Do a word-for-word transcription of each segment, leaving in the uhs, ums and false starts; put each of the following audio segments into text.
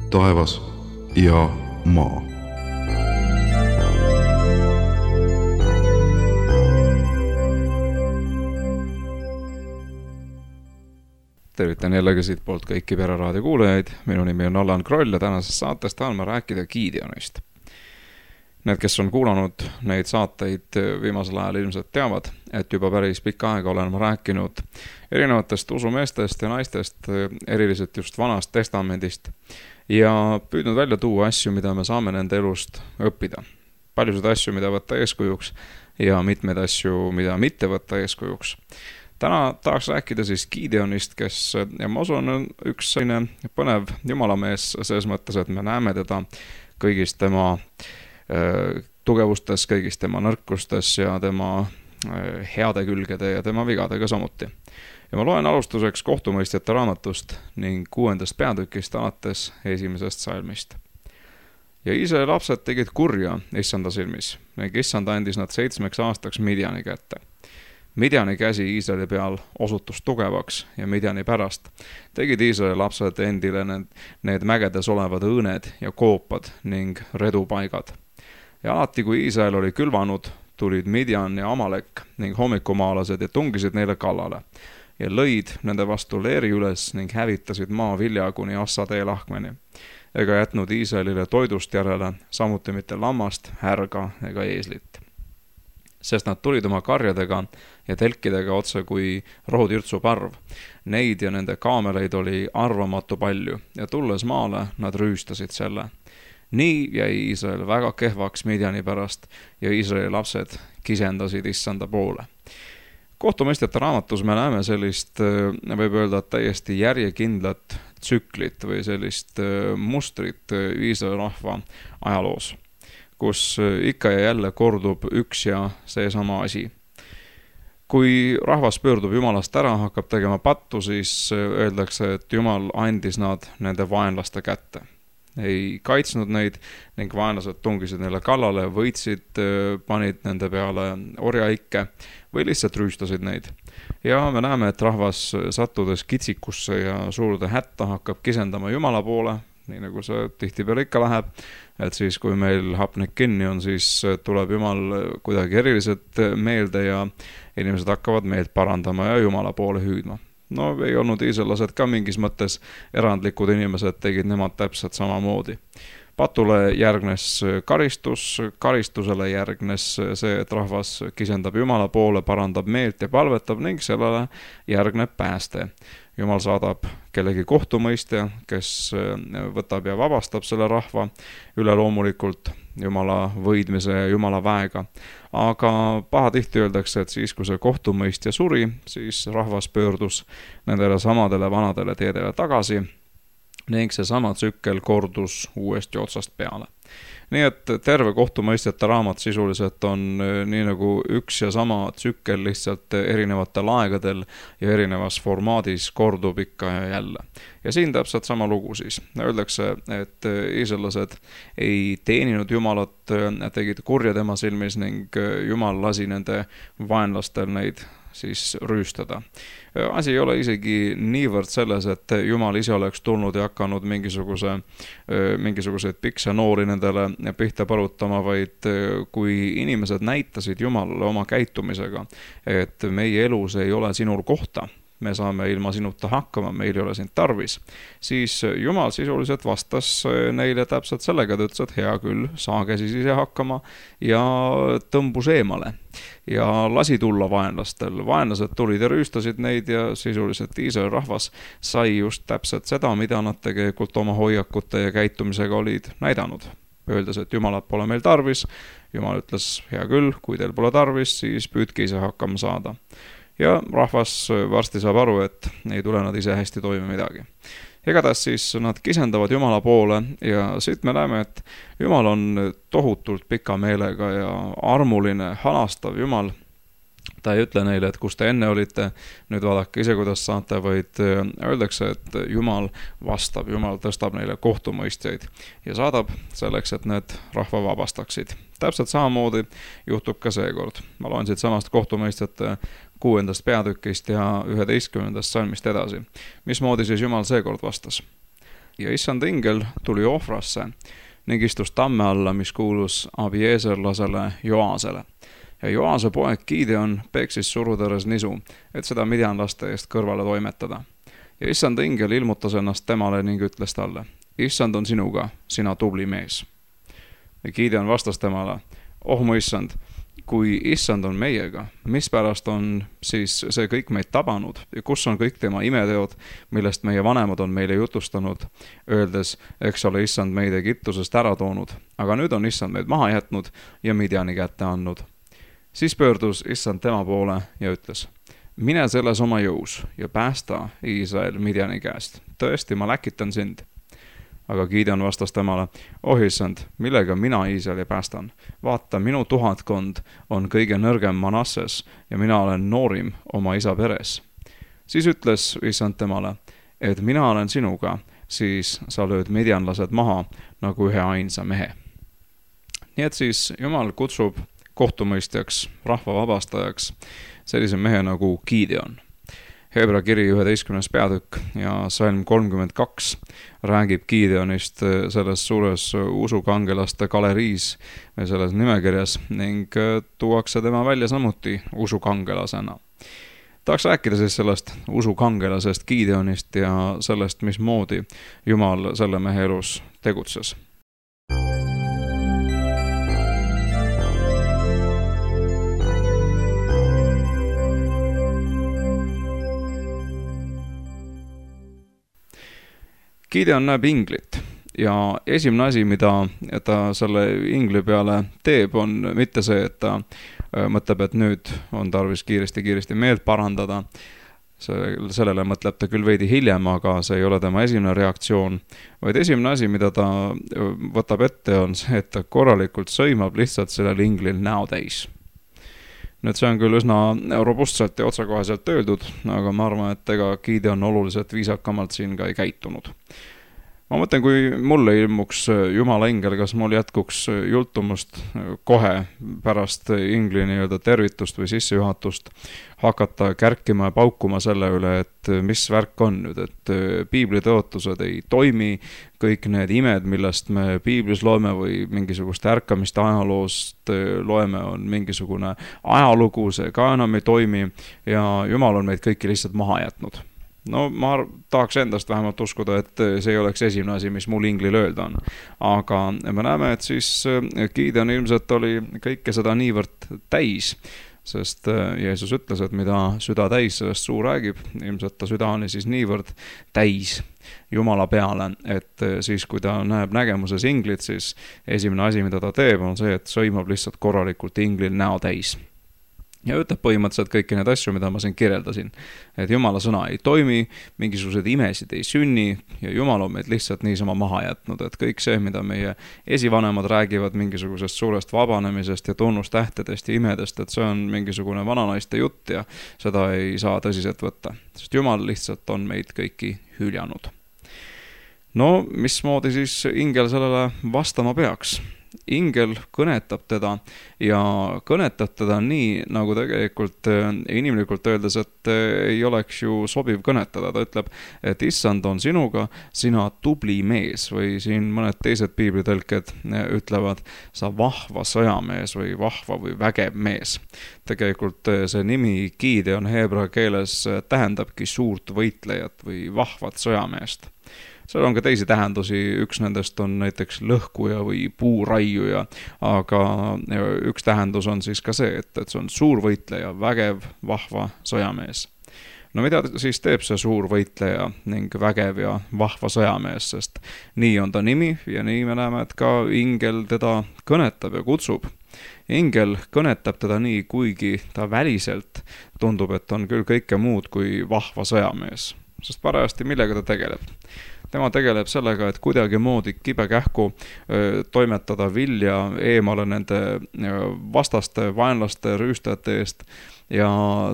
taevas ja maa. Tervitan jällegi siit poolt kõiki Pereraadio kuulajaid. Minu nimi on Allan Kroll ja tänases saates tahan ma rääkida Gideonist. Need, kes on kuulanud neid saateid viimasel ajal ilmselt teavad, et juba päris pikka aega olen ma rääkinud erinevatest usumeestest ja naistest, eriliselt just Vanast Testamendist, ja püüdnud välja tuua asju, mida me saame nende elust õppida. Paljusid asju, mida võtta eeskujuks ja mitmeid asju, mida mitte võtta eeskujuks. Täna tahaks rääkida siis Gideonist, kes, ja ma usun, on üks selline põnev jumalamees selles mõttes, et me näeme teda kõigis tema äh, tugevustes, kõigis tema nõrkustes ja tema äh, heade külgede ja tema vigadega samuti. Ja ma loen alustuseks kohtumõistjate raamatust ning kuuendast peatükist alates esimesest salmist. Ja Iisraeli lapsed tegid kurja issanda silmis ning issanda andis nad seitsmeks aastaks Midjani kätte. Midjani käsi Iisraeli peal osutus tugevaks ja Midjani pärast tegid Iisraeli lapsed endile need, need mägedes olevad õõned ja koopad ning redupaigad. Ja alati, kui Iisrael oli külvanud, tulid Midjan ja Amalek ning hommikumaalased ja tungisid neile kallale ja lõid nende vastu leeri üles ning hävitasid maa vilja kuni Assa tee lahkmeni. Ega jätnud Iisraelile toidust järele, samuti mitte lammast, härga ega eeslit. Sest nad tulid oma karjadega ja telkidega otse kui rohutirtsu parv. Neid ja nende kaameleid oli arvamatu palju ja tulles maale nad rüüstasid selle. Nii jäi Iisrael väga kehvaks Midjani pärast ja Iisraeli lapsed kisendasid issanda poole. Kohtumõistjate raamatus me näeme sellist, võib öelda, täiesti järjekindlat tsüklit või sellist mustrit Iisraeli rahva ajaloos, kus ikka ja jälle kordub üks ja seesama asi. Kui rahvas pöördub Jumalast ära, hakkab tegema pattu, siis öeldakse, et Jumal andis nad nende vaenlaste kätte. Ei kaitsnud neid ning vaenlased tungisid neile kallale, võitsid, panid nende peale orjaikke või lihtsalt rüüstasid neid. Ja me näeme, et rahvas sattudes kitsikusse ja suurde hätta hakkab kisendama Jumala poole, nii nagu see tihtipeale ikka läheb, et siis kui meil hapnik kinni on, siis tuleb Jumal kuidagi eriliselt meelde ja inimesed hakkavad meelt parandama ja Jumala poole hüüdma. No ei olnud iisraelased ka mingis mõttes erandlikud inimesed, tegid nemad täpselt samamoodi. Patule järgnes karistus, karistusele järgnes see, et rahvas kisendab Jumala poole, parandab meelt ja palvetab ning sellele järgneb pääste. Jumal saadab kellegi kohtumõistja, kes võtab ja vabastab selle rahva üleloomulikult Jumala võidmise ja Jumala väega. Aga pahatihti öeldakse, et siis, kui see kohtumõistja suri, siis rahvas pöördus nendele samadele vanadele teedele tagasi ning see sama tsükkel kordus uuesti otsast peale. Nii et terve kohtumõistjate raamat sisuliselt on nii nagu üks ja sama tsükkel lihtsalt erinevatel aegadel ja erinevas formaadis kordub ikka ja jälle. Ja siin täpselt sama lugu siis. Öeldakse, et iisraelased ei teeninud Jumalat, tegid kurja tema silmis ning Jumal lasi nende vaenlastel neid siis rüüstada. Asi ei ole isegi niivõrd selles, et Jumal ise oleks tulnud ja hakanud mingisuguse, mingisuguseid pikse noori nendele pihta põrutama, vaid kui inimesed näitasid Jumalale oma käitumisega, et meie elus ei ole sinul kohta, me saame ilma sinuta hakkama, meil ei ole sind tarvis, siis Jumal sisuliselt vastas neile täpselt sellega, et ütles, et hea küll, saage siis ise hakkama ja tõmbus eemale. Ja lasi tulla vaenlastel. Vaenlased tulid ja rüüstasid neid ja sisuliselt Iisraeli rahvas sai just täpselt seda, mida nad tegelikult oma hoiakute ja käitumisega olid näidanud. Öeldes, et Jumalat pole meil tarvis, Jumal ütles, hea küll, kui teil pole tarvis, siis püüdke ise hakkama saada. Ja rahvas varsti saab aru, et ei tule nad ise hästi toime midagi. Igatahes siis nad kisendavad Jumala poole ja siit me näeme, et Jumal on tohutult pika meelega ja armuline, halastav Jumal. Ta ei ütle neile, et kus te enne olite, nüüd vaadake ise, kuidas saate, vaid öeldakse, et Jumal vastab, Jumal tõstab neile kohtumõistjaid ja saadab selleks, et need rahva vabastaksid. Täpselt samamoodi juhtub ka seekord. Ma loen siit samast kohtumõistjate kuuendast peatükist ja üheteistkümnendast salmist edasi. Mismoodi siis Jumal seekord vastas? ja issand ingel tuli ohvrasse ning istus tamme alla, mis kuulus abieeserlasele Joasele. Ja Joase poeg Gideon peksis surutõres nisu, et seda midjanlaste eest kõrvale toimetada. Ja issand ingel ilmutas ennast temale ning ütles talle: issand on sinuga, sina tubli mees. Ja Gideon vastas temale: oh mu issand, kui issand on meiega, mispärast on siis see kõik meid tabanud ja kus on kõik tema imeteod, millest meie vanemad on meile jutustanud, öeldes, eks ole issand meid Egiptusest ära toonud, aga nüüd on issand meid maha jätnud ja Midjani kätte andnud. Siis pöördus issand tema poole ja ütles: mine selles oma jõus ja päästa Iisrael Midjani käest. Tõesti, ma läkitan sind. Aga Gideon vastas temale: oh issand, millega mina Iisraeli päästan? Vaata, minu tuhatkond on kõige nõrgem Manasses ja mina olen noorim oma isa peres. Siis ütles issand temale, et mina olen sinuga, siis sa lööd midjanlased maha nagu ühe ainsa mehe. Nii et siis Jumal kutsub kohtumõistjaks, rahva vabastajaks sellise mehe nagu Gideon. Hebra kiri üheteistkümnes peatükk ja salm kolmkümmend kaks räägib Gideonist selles suures usukangelaste galeriis või selles nimekirjas ning tuuakse tema välja samuti usukangelasena. Tahaks rääkida siis sellest usukangelasest Gideonist ja sellest, mismoodi Jumal selle mehe elus tegutses. Gideon näeb inglit ja esimene asi, mida ta selle ingli peale teeb, on mitte see, et ta mõtleb, et nüüd on tarvis kiiresti-kiiresti meelt parandada. Sellele mõtleb ta küll veidi hiljem, aga see ei ole tema esimene reaktsioon, vaid esimene asi, mida ta võtab ette, on see, et ta korralikult sõimab lihtsalt sellel inglil näo täis. Nüüd see on küll üsna robustselt ja otsakoheselt öeldud, aga ma arvan, et ega Gideon oluliselt viisakamalt siin ka ei käitunud. Ma mõtlen, kui mulle ilmuks Jumala ingel, kas mul jätkuks jultumust kohe pärast ingli nii-öelda tervitust või sissejuhatust hakata kärkima ja paukuma selle üle, et mis värk on nüüd, et piibli tõotused ei toimi, kõik need imed, millest me piiblis loeme või mingisugust ärkamist ajaloost loeme, on mingisugune ajalugu, see ka enam ei toimi ja Jumal on meid kõiki lihtsalt maha jätnud. No ma tahaks endast vähemalt uskuda, et see ei oleks esimene asi, mis mul inglil öelda on. Aga me näeme, et siis Gideon ilmselt oli kõike seda niivõrd täis, sest Jeesus ütles, et mida süda täis, sellest suu räägib. Ilmselt ta süda oli siis niivõrd täis Jumala peale, et siis kui ta näeb nägemuses inglit, siis esimene asi, mida ta teeb, on see, et sõimab lihtsalt korralikult inglil näo täis. Ja ütleb põhimõtteliselt kõiki need asju, mida ma siin kirjeldasin. Et Jumala sõna ei toimi, mingisugused imesid ei sünni ja Jumal on meid lihtsalt niisama maha jätnud. Et kõik see, mida meie esivanemad räägivad mingisugusest suurest vabanemisest ja tunnustähtedest ja imedest, et see on mingisugune vananaiste jutt ja seda ei saa tõsiselt võtta. Sest Jumal lihtsalt on meid kõiki hüljanud. No, mismoodi siis ingel sellele vastama peaks? Ingel kõnetab teda ja kõnetab teda nii, nagu tegelikult inimlikult öeldes, et ei oleks ju sobiv kõnetada. Ta ütleb, et issand on sinuga, sina tubli mees või siin mõned teised piiblitõlked ütlevad, sa vahva sõjamees või vahva või vägev mees. Tegelikult see nimi Gideon heebra keeles tähendabki suurt võitlejat või vahvat sõjameest. Seal on ka teisi tähendusi, üks nendest on näiteks lõhkuja või puuraiuja, aga üks tähendus on siis ka see, et, et see on suur võitleja, vägev, vahva sõjamees. No mida siis teeb see suur võitleja ning vägev ja vahva sõjamees, sest nii on ta nimi ja nii me näeme, et ka ingel teda kõnetab ja kutsub. Ingel kõnetab teda nii, kuigi ta väliselt tundub, et on küll kõike muud kui vahva sõjamees, sest parajasti millega ta tegeleb. Tema tegeleb sellega, et kuidagi moodi kibekähku toimetada vilja eemale nende vastaste, vaenlaste, rüüstajate eest ja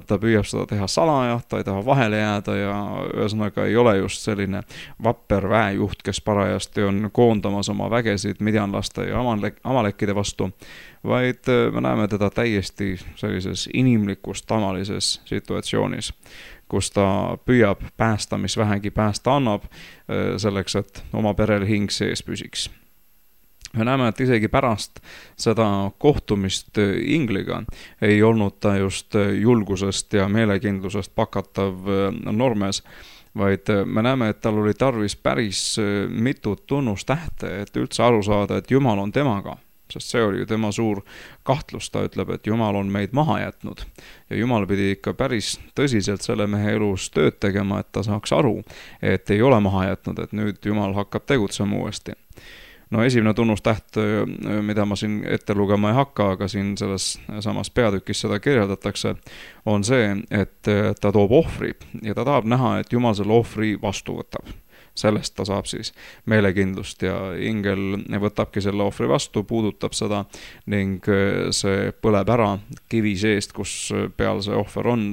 ta püüab seda teha salaja, ta ei taha vahele jääda ja ühesõnaga ei ole just selline vapper väejuht, kes parajasti on koondamas oma vägesid midjanlaste ja amalekkide vastu, vaid me näeme teda täiesti sellises inimlikus tavalises situatsioonis, kus ta püüab päästa, mis vähegi päästa annab, selleks, et oma perel hing sees püsiks. Me näeme, et isegi pärast seda kohtumist Ingliga ei olnud ta just julgusest ja meelekindlusest pakatav normes, vaid me näeme, et tal oli tarvis päris mitut tunnustähte, et üldse aru saada, et Jumal on temaga. Sest see oli ju tema suur kahtlus, ta ütleb, et Jumal on meid maha jätnud. Ja Jumal pidi ikka päris tõsiselt selle mehe elus tööd tegema, et ta saaks aru, et ei ole maha jätnud, et nüüd Jumal hakkab tegutsema uuesti. No esimene tunnustäht, mida ma siin ette lugema ei hakka, aga siin selles samas peatükis seda kirjeldatakse, on see, et ta toob ohvri ja ta tahab näha, et Jumal selle ohvri vastu võtab. Sellest ta saab siis meelekindlust ja ingel võtabki selle ohvri vastu, puudutab seda ning see põleb ära kivi seest, kus peal see ohver on,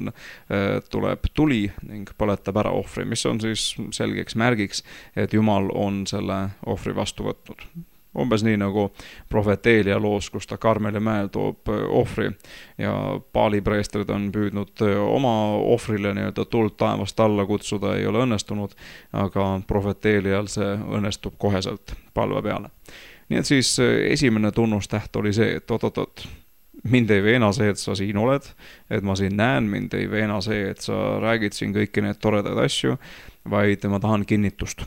tuleb tuli ning põletab ära ohvri, mis on siis selgeks märgiks, et Jumal on selle ohvri vastu võtnud. Umbes nii nagu prohvet Eelia loos, kus ta Karmeli mäel toob ohvri ja paalipreestrid on püüdnud oma ohvrile nii-öelda tuld taevast alla kutsuda, ei ole õnnestunud, aga prohvet Eelial see õnnestub koheselt palve peale. Nii et siis esimene tunnustäht oli see, et oot-oot-oot, mind ei veena see, et sa siin oled, et ma siin näen, mind ei veena see, et sa räägid siin kõiki need toredaid asju, vaid ma tahan kinnitust.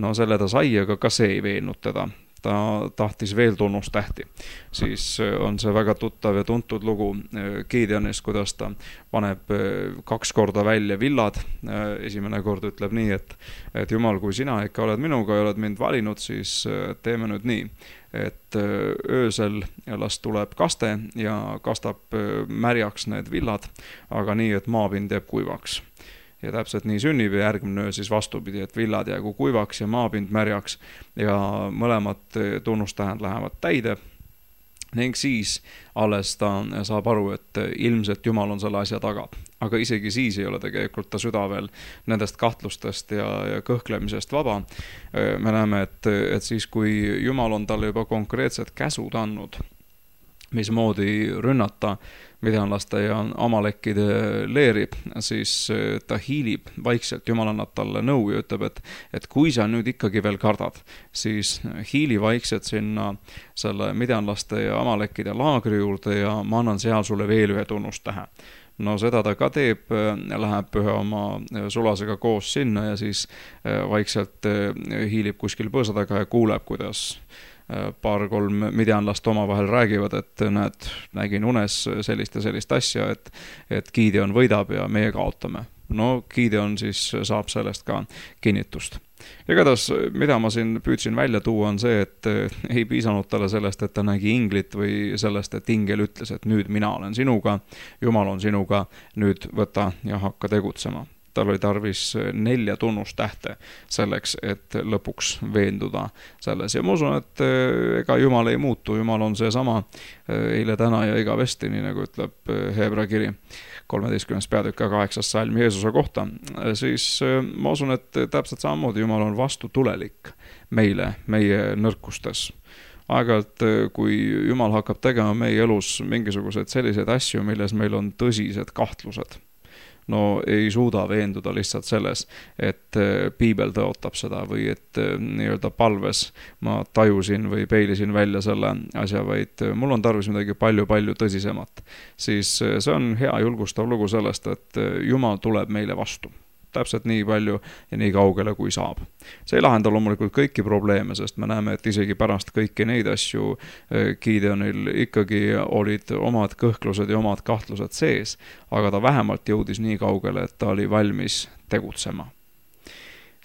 No selle ta sai, aga ka see ei veennud teda. Ta tahtis veel tunnustähti. Siis on see väga tuttav ja tuntud lugu Gideonist, kuidas ta paneb kaks korda välja villad. Esimene kord ütleb nii, et, et Jumal, kui sina ikka oled minuga ja oled mind valinud, siis teeme nüüd nii, et öösel las tuleb kaste ja kastab märjaks need villad, aga nii, et maapind jääb kuivaks. Ja täpselt nii sünnib ja järgmine öö siis vastupidi, et villad jäägu kuivaks ja maapind märjaks ja mõlemad tunnustähed lähevad täide ning siis alles ta saab aru, et ilmselt Jumal on selle asja taga. Aga isegi siis ei ole tegelikult ta süda veel nendest kahtlustest ja, ja kõhklemisest vaba. Me näeme, et, et siis kui Jumal on talle juba konkreetsed käsud andnud, mismoodi rünnata midjanlaste ja amalekkide leeri, siis ta hiilib vaikselt, Jumal annab talle nõu ja ütleb, et, et kui sa nüüd ikkagi veel kardad, siis hiili vaikselt sinna selle midjanlaste ja amalekkide laagri juurde ja ma annan seal sulle veel ühe tunnustähe. No seda ta ka teeb, läheb ühe oma sulasega koos sinna ja siis vaikselt hiilib kuskil põõsa taga ja kuuleb, kuidas paar-kolm midjanlast omavahel räägivad, et näed, nägin unes sellist ja sellist asja, et, et Gideon võidab ja meie kaotame. No Gideon siis saab sellest ka kinnitust. Igatahes, mida ma siin püüdsin välja tuua, on see, et ei piisanud talle sellest, et ta nägi inglit või sellest, et ingel ütles, et nüüd mina olen sinuga, Jumal on sinuga, nüüd võta ja hakka tegutsema. Tal oli tarvis nelja tunnustähte selleks, et lõpuks veenduda selles. Ja ma usun, et ega Jumal ei muutu, Jumal on see sama eile, täna ja igavesti, nii nagu ütleb Hebra kiri kolmeteistkümnes peatükk ja kaheksas salm Jeesuse kohta. Siis ma usun, et täpselt samamoodi Jumal on vastutulelik meile, meie nõrkustes. Aeg-ajalt, kui Jumal hakkab tegema meie elus mingisuguseid selliseid asju, milles meil on tõsised kahtlused, no ei suuda veenduda lihtsalt selles, et piibel tõotab seda või et nii-öelda palves ma tajusin või peilisin välja selle asja, vaid mul on tarvis midagi palju-palju tõsisemat. Siis see on hea julgustav lugu sellest, et Jumal tuleb meile vastu. Täpselt nii palju ja nii kaugele, kui saab. See ei lahenda loomulikult kõiki probleeme, sest me näeme, et isegi pärast kõiki neid asju Gideonil ikkagi olid omad kõhklused ja omad kahtlused sees, aga ta vähemalt jõudis nii kaugele, et ta oli valmis tegutsema.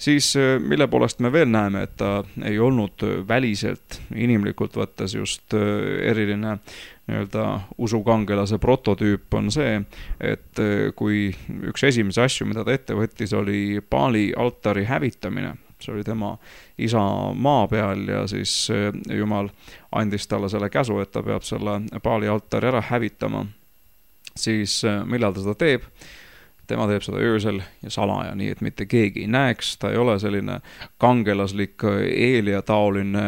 Siis mille poolest me veel näeme, et ta ei olnud väliselt inimlikult võttes just eriline nii-öelda usukangelase prototüüp on see, et kui üks esimese asju, mida ta ette võttis, oli Paali altari hävitamine, see oli tema isa maa peal ja siis Jumal andis talle selle käsu, et ta peab selle Paali altari ära hävitama. siis millal ta seda teeb? Tema teeb seda öösel ja salaja, nii et mitte keegi ei näeks, ta ei ole selline kangelaslik Eelia taoline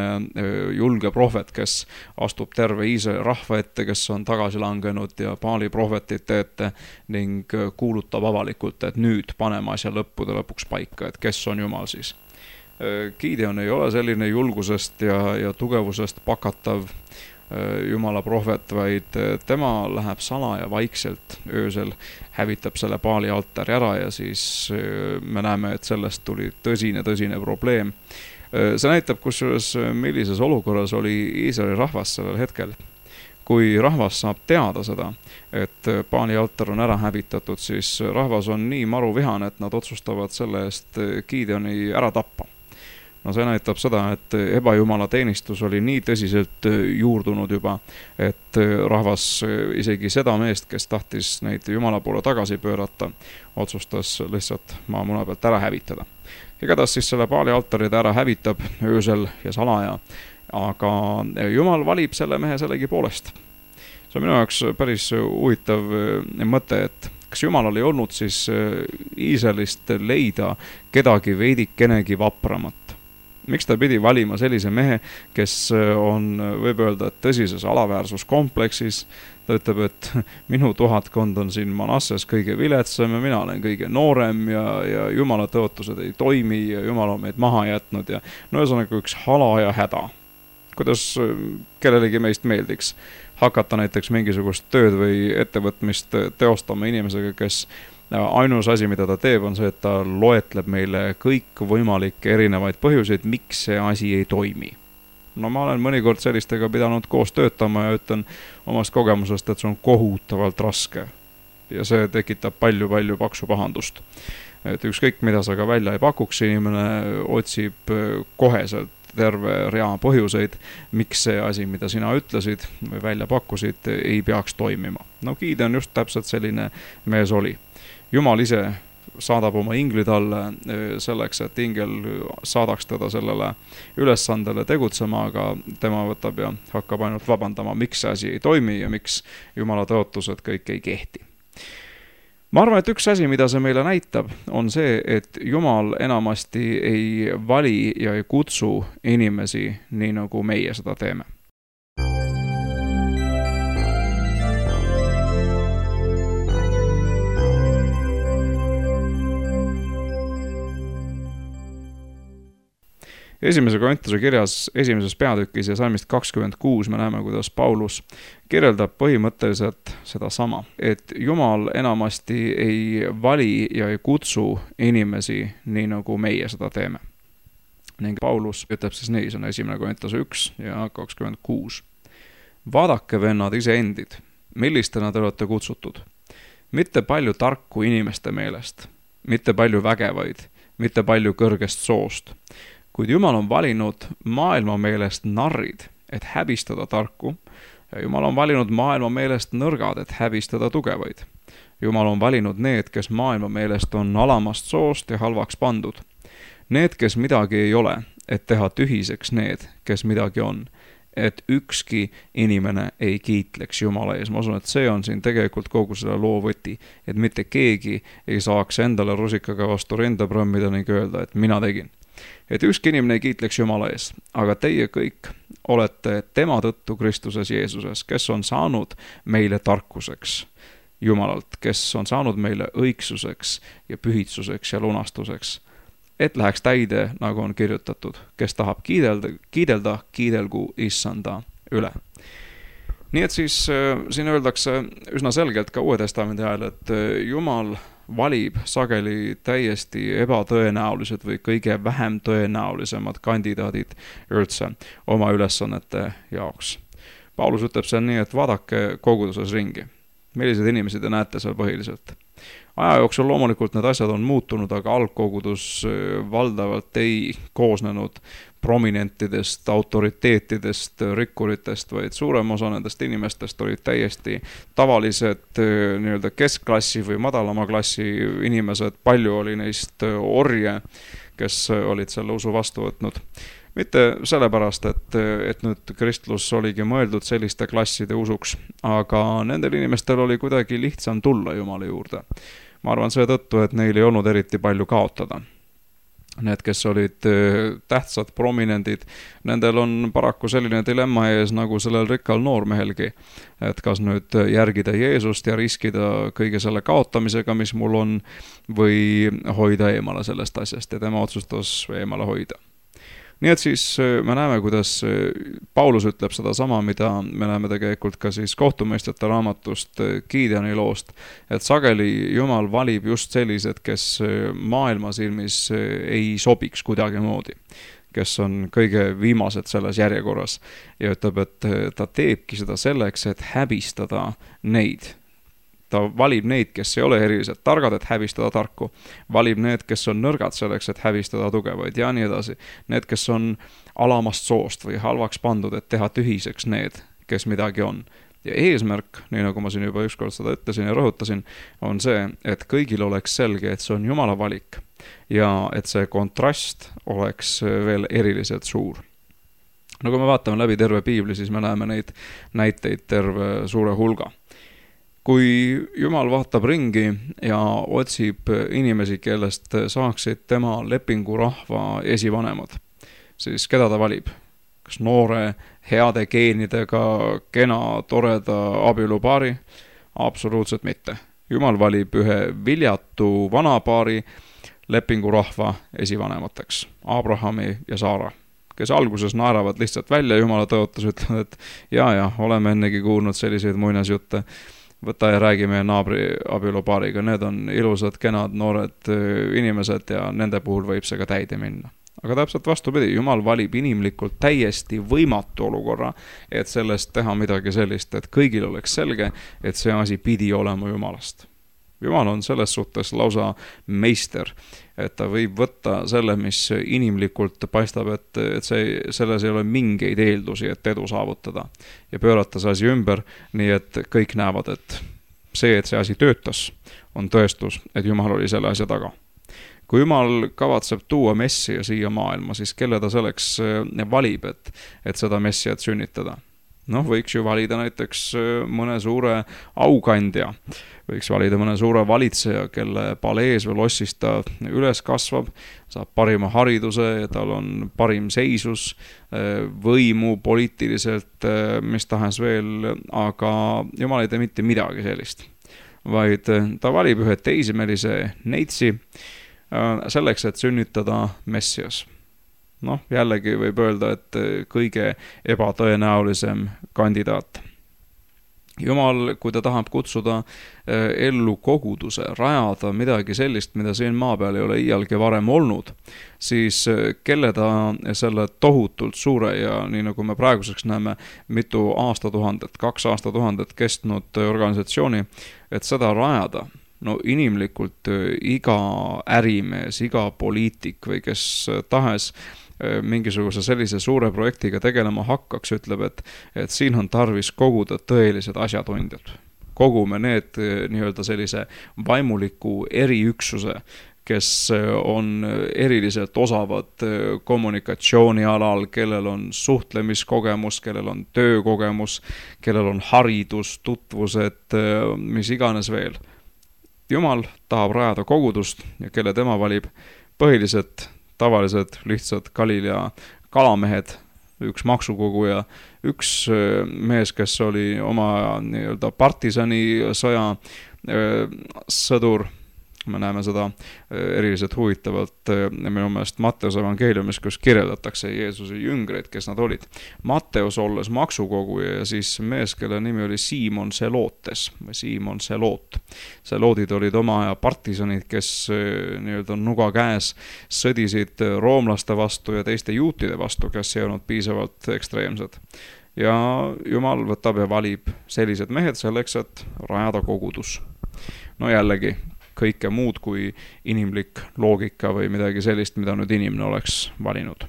julge prohvet, kes astub terve Iisraeli rahva ette, kes on tagasi langenud ja Baali prohvetite ette ning kuulutab avalikult, et nüüd paneme asja lõppude lõpuks paika, et kes on Jumal siis. Gideon ei ole selline julgusest ja, ja tugevusest pakatav Jumala prohvet, vaid tema läheb salaja vaikselt öösel, hävitab selle Baali altari ära ja siis me näeme, et sellest tuli tõsine, tõsine probleem. See näitab kusjuures, millises olukorras oli Iisraeli rahvas sellel hetkel. Kui rahvas saab teada seda, et Baali altar on ära hävitatud, siis rahvas on nii maruvihane, et nad otsustavad selle eest Gideoni ära tappa. No see näitab seda, et ebajumala teenistus oli nii tõsiselt juurdunud juba, et rahvas isegi seda meest, kes tahtis neid Jumala poole tagasi pöörata, otsustas lihtsalt maamuna pealt ära hävitada. Igatahes siis selle Baali altari ta ära hävitab öösel ja salaja, aga Jumal valib selle mehe sellegi poolest. See on minu jaoks päris huvitav mõte, et kas Jumalal ei olnud siis Iisraelist leida kedagi veidikenegi vapramat? Miks ta pidi valima sellise mehe, kes on, võib öelda, tõsises alaväärsuskompleksis? Ta ütleb, et minu tuhatkond on siin Manasses kõige viletsam ja mina olen kõige noorem ja, ja Jumala tõotused ei toimi ja Jumal on meid maha jätnud ja no ühesõnaga üks hala ja häda. Kuidas kellelegi meist meeldiks hakata näiteks mingisugust tööd või ettevõtmist teostama inimesega, kes ainus asi, mida ta teeb, on see, et ta loetleb meile kõik võimalikke erinevaid põhjuseid, miks see asi ei toimi. No ma olen mõnikord sellistega pidanud koos töötama ja ütlen omast kogemusest, et see on kohutavalt raske. Ja see tekitab palju-palju paksu pahandust. Et ükskõik, mida sa ka välja ei pakuks, inimene otsib koheselt terve rea põhjuseid, miks see asi, mida sina ütlesid või välja pakkusid, ei peaks toimima. No Gideon just täpselt selline mees oli. Jumal ise saadab oma ingli talle selleks, et ingel saadaks teda sellele ülesandele tegutsema, aga tema võtab ja hakkab ainult vabandama, miks see asi ei toimi ja miks Jumala tõotused kõik ei kehti. Ma arvan, et üks asi, mida see meile näitab, on see, et Jumal enamasti ei vali ja ei kutsu inimesi nii, nagu meie seda teeme. Esimese Korintuse kirjas esimeses peatükis ja salmist kakskümmend kuus me näeme, kuidas Paulus kirjeldab põhimõtteliselt seda sama, et Jumal enamasti ei vali ja ei kutsu inimesi nii, nagu meie seda teeme. Ning Paulus ütleb siis nii, see on esimene Korintuse üks ja kakskümmend kuus. Vaadake, vennad, iseendid, millistena te olete kutsutud. Mitte palju tarku inimeste meelest, mitte palju vägevaid, mitte palju kõrgest soost. Kuid Jumal on valinud maailma meelest narrid, et häbistada tarku, ja Jumal on valinud maailma meelest nõrgad, et häbistada tugevaid. Jumal on valinud need, kes maailma meelest on alamast soost ja halvaks pandud. Need, kes midagi ei ole, et teha tühiseks need, kes midagi on, et ükski inimene ei kiitleks Jumala ees. Ma usun, et see on siin tegelikult kogu selle loo võti, et mitte keegi ei saaks endale rusikaga vastu rinda prõmmida ning öelda, et mina tegin. Et ükski inimene ei kiitleks Jumala ees, aga teie kõik olete tema tõttu Kristuses Jeesuses, kes on saanud meile tarkuseks Jumalalt, kes on saanud meile õigsuseks ja pühitsuseks ja lunastuseks, et läheks täide, nagu on kirjutatud, kes tahab kiidelda, kiidelda kiidelgu issanda üle. Nii et siis siin öeldakse üsna selgelt ka Uue Testamendi ajal, et Jumal valib sageli täiesti ebatõenäolised või kõige vähem tõenäolisemad kandidaadid üldse oma ülesannete jaoks. Paulus ütleb seal nii, et vaadake koguduses ringi. Millised inimesed te näete seal põhiliselt? Aja jooksul loomulikult need asjad on muutunud, aga algkogudus valdavalt ei koosnenud prominentidest, autoriteetidest, rikkuritest, vaid suurem osa nendest inimestest olid täiesti tavalised nii-öelda keskklassi või madalama klassi inimesed. Palju oli neist orje, kes olid selle usu vastu võtnud. mitte sellepärast, et, et nüüd kristlus oligi mõeldud selliste klasside usuks, aga nendel inimestel oli kuidagi lihtsam tulla Jumala juurde. Ma arvan seetõttu, et neil ei olnud eriti palju kaotada. Need, kes olid tähtsad, prominendid, nendel on paraku selline dilemma ees nagu sellel rikkal noormehelgi, et kas nüüd järgida Jeesust ja riskida kõige selle kaotamisega, mis mul on, või hoida eemale sellest asjast ja tema otsustas eemale hoida. Nii et siis me näeme, kuidas Paulus ütleb seda sama, mida me näeme tegelikult ka siis kohtumõistjate raamatust Gideoni loost, et sageli Jumal valib just sellised, kes maailma silmis ei sobiks kuidagi moodi, kes on kõige viimased selles järjekorras ja ütleb, et ta teebki seda selleks, et häbistada neid. Ta valib neid, kes ei ole eriliselt targad, et häbistada tarku. Valib need, kes on nõrgad selleks, et häbistada tugevaid ja nii edasi. Need, kes on alamast soost või halvaks pandud, et teha tühiseks need, kes midagi on. Ja eesmärk, nii nagu ma siin juba ükskord seda ütlesin ja rõhutasin, on see, et kõigil oleks selge, et see on Jumala valik ja et see kontrast oleks veel eriliselt suur. No kui me vaatame läbi terve piibli, siis me näeme neid näiteid terve suure hulga. Kui Jumal vaatab ringi ja otsib inimesi, kellest saaksid tema lepingurahva esivanemad, siis keda ta valib? Kas noore, heade geenidega, kena, toreda abielupaari? Absoluutselt mitte. Jumal valib ühe viljatu vanapaari lepingurahva esivanemateks, Abrahami ja Saara, kes alguses naeravad lihtsalt välja Jumala tõotus, ütlevad, et jaa, jaa, oleme ennegi kuulnud selliseid muinasjutte, võta ja räägi meie naabri abielupaariga, need on ilusad, kenad, noored inimesed ja nende puhul võib see ka täide minna. Aga täpselt vastupidi, Jumal valib inimlikult täiesti võimatu olukorra, et sellest teha midagi sellist, et kõigil oleks selge, et see asi pidi olema Jumalast. Jumal on selles suhtes lausa meister, et ta võib võtta selle, mis inimlikult paistab, et, et see, selles ei ole mingeid eeldusi, et edu saavutada ja pöörata see asi ümber, nii et kõik näevad, et see, et see asi töötas, on tõestus, et Jumal oli selle asja taga. Kui Jumal kavatseb tuua messia siia maailma, siis kelle ta selleks valib, et, et seda messiat sünnitada? Noh, võiks ju valida näiteks mõne suure aukandja, võiks valida mõne suure valitseja, kelle palees või lossis ta üles kasvab, saab parima hariduse ja tal on parim seisus, võimu poliitiliselt, mis tahes veel, aga Jumal ei tee mitte midagi sellist, vaid ta valib ühe teisimelise neitsi selleks, et sünnitada messias. Noh, jällegi võib öelda, et kõige ebatõenäolisem kandidaat. Jumal, kui ta tahab kutsuda ellu koguduse, rajada midagi sellist, mida siin maa peal ei ole iialgi varem olnud, siis kelle ta selle tohutult suure ja nii nagu me praeguseks näeme mitu aastatuhandet, kaks aastatuhandet kestnud organisatsiooni, et seda rajada, no inimlikult iga ärimees, iga poliitik või kes tahes mingisuguse sellise suure projektiga tegelema hakkaks, ütleb, et, et siin on tarvis koguda tõelised asjatundjad. Kogume need nii-öelda sellise vaimuliku eriüksuse, kes on eriliselt osavad kommunikatsioonialal, kellel on suhtlemiskogemus, kellel on töökogemus, kellel on haridus, tutvused, mis iganes veel. Jumal tahab rajada kogudust ja kelle tema valib põhiliselt tavalised, lihtsad Galilea kalamehed, üks maksukoguja, üks mees, kes oli oma nii-öelda partisani sõja sõdur. Me näeme seda eriliselt huvitavalt minu meelest Matteuse evangeeliumis, kus kirjeldatakse Jeesuse jüngreid, kes nad olid. Matteus olles maksukoguja ja siis mees, kelle nimi oli Siimon Selootes või Siimon Seloot. Seloodid olid oma aja partisanid, kes nii-öelda nuga käes sõdisid roomlaste vastu ja teiste juutide vastu, kes ei olnud piisavalt ekstreemsed. Ja Jumal võtab ja valib sellised mehed selleks, et rajada kogudus. No jällegi, kõike muud kui inimlik loogika või midagi sellist, mida nüüd inimene oleks valinud.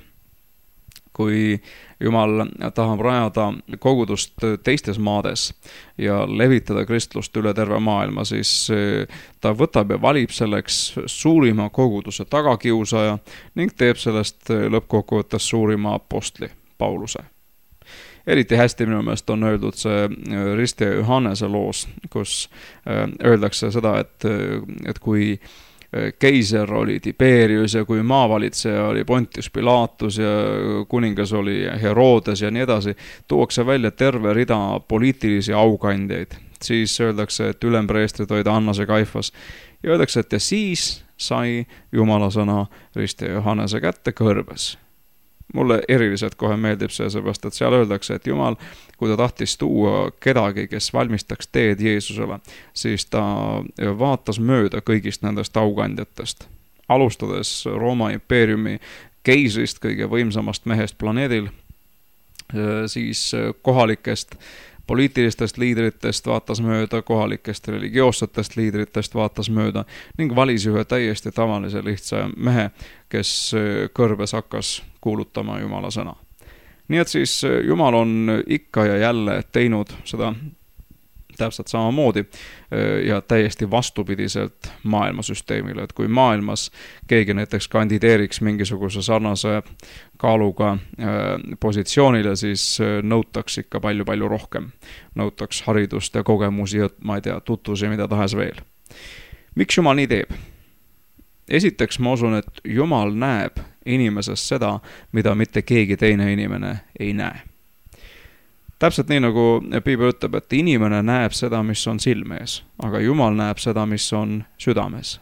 kui Jumal tahab rajada kogudust teistes maades ja levitada kristlust üle terve maailma, siis ta võtab ja valib selleks suurima koguduse tagakiusaja ning teeb sellest lõppkokkuvõttes suurima apostli, Pauluse. Eriti hästi minu meelest on öeldud see Risti ja Johannese loos, kus öeldakse seda, et, et kui keiser oli Tiberius ja kui maavalitseja oli Pontius Pilatus ja kuningas oli Herodes ja nii edasi, tuuakse välja terve rida poliitilisi aukandjaid. Siis öeldakse, et ülempreestrid olid Annas ja Kaifas. Ja öeldakse, et ja siis sai Jumala sõna Risti ja Johannese kätte kõrbes. Mulle eriliselt kohe meeldib see, seepärast, et seal öeldakse, et Jumal, kui ta tahtis tuua kedagi, kes valmistaks teed Jeesusele, siis ta vaatas mööda kõigist nendest aukandjatest. Alustades Rooma impeeriumi keisrist, kõige võimsamast mehest planeedil, siis kohalikest poliitilistest liidritest vaatas mööda, kohalikest religioossetest liidritest vaatas mööda ning valis ühe täiesti tavalise lihtsa mehe, kes kõrbes hakkas kuulutama Jumala sõna. Nii et siis Jumal on ikka ja jälle teinud seda täpselt samamoodi ja täiesti vastupidiselt maailmasüsteemile, et kui maailmas keegi näiteks kandideeriks mingisuguse sarnase kaaluga positsioonile, siis nõutaks ikka palju-palju rohkem. Nõutaks haridust ja kogemusi, ma ei tea, tutvusi, mida tahes veel. Miks Jumal nii teeb? Esiteks ma usun, et Jumal näeb inimeses seda, mida mitte keegi teine inimene ei näe. Täpselt nii, nagu Piibel ütleb, et inimene näeb seda, mis on silmees, aga Jumal näeb seda, mis on südames.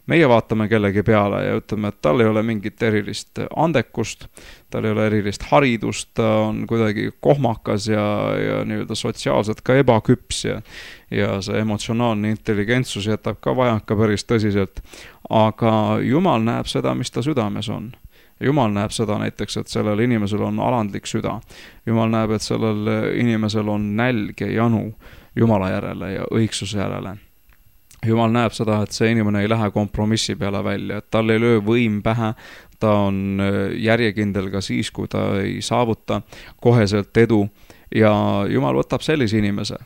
Meie vaatame kellegi peale ja ütleme, et tal ei ole mingit erilist andekust, tal ei ole erilist haridust, ta on kuidagi kohmakas ja, ja nii-öelda sotsiaalselt ka ebaküps ja, ja see emotsionaalne intelligentsus jätab ka vajaka päris tõsiselt. Aga Jumal näeb seda, mis ta südames on. Jumal näeb seda näiteks, et sellel inimesel on alandlik süda. Jumal näeb, et sellel inimesel on nälg ja janu Jumala järele ja õigsuse järele. Jumal näeb seda, et see inimene ei lähe kompromissi peale välja, et tal ei löö võim pähe, ta on järjekindel ka siis, kui ta ei saavuta koheselt edu ja Jumal võtab sellise inimese.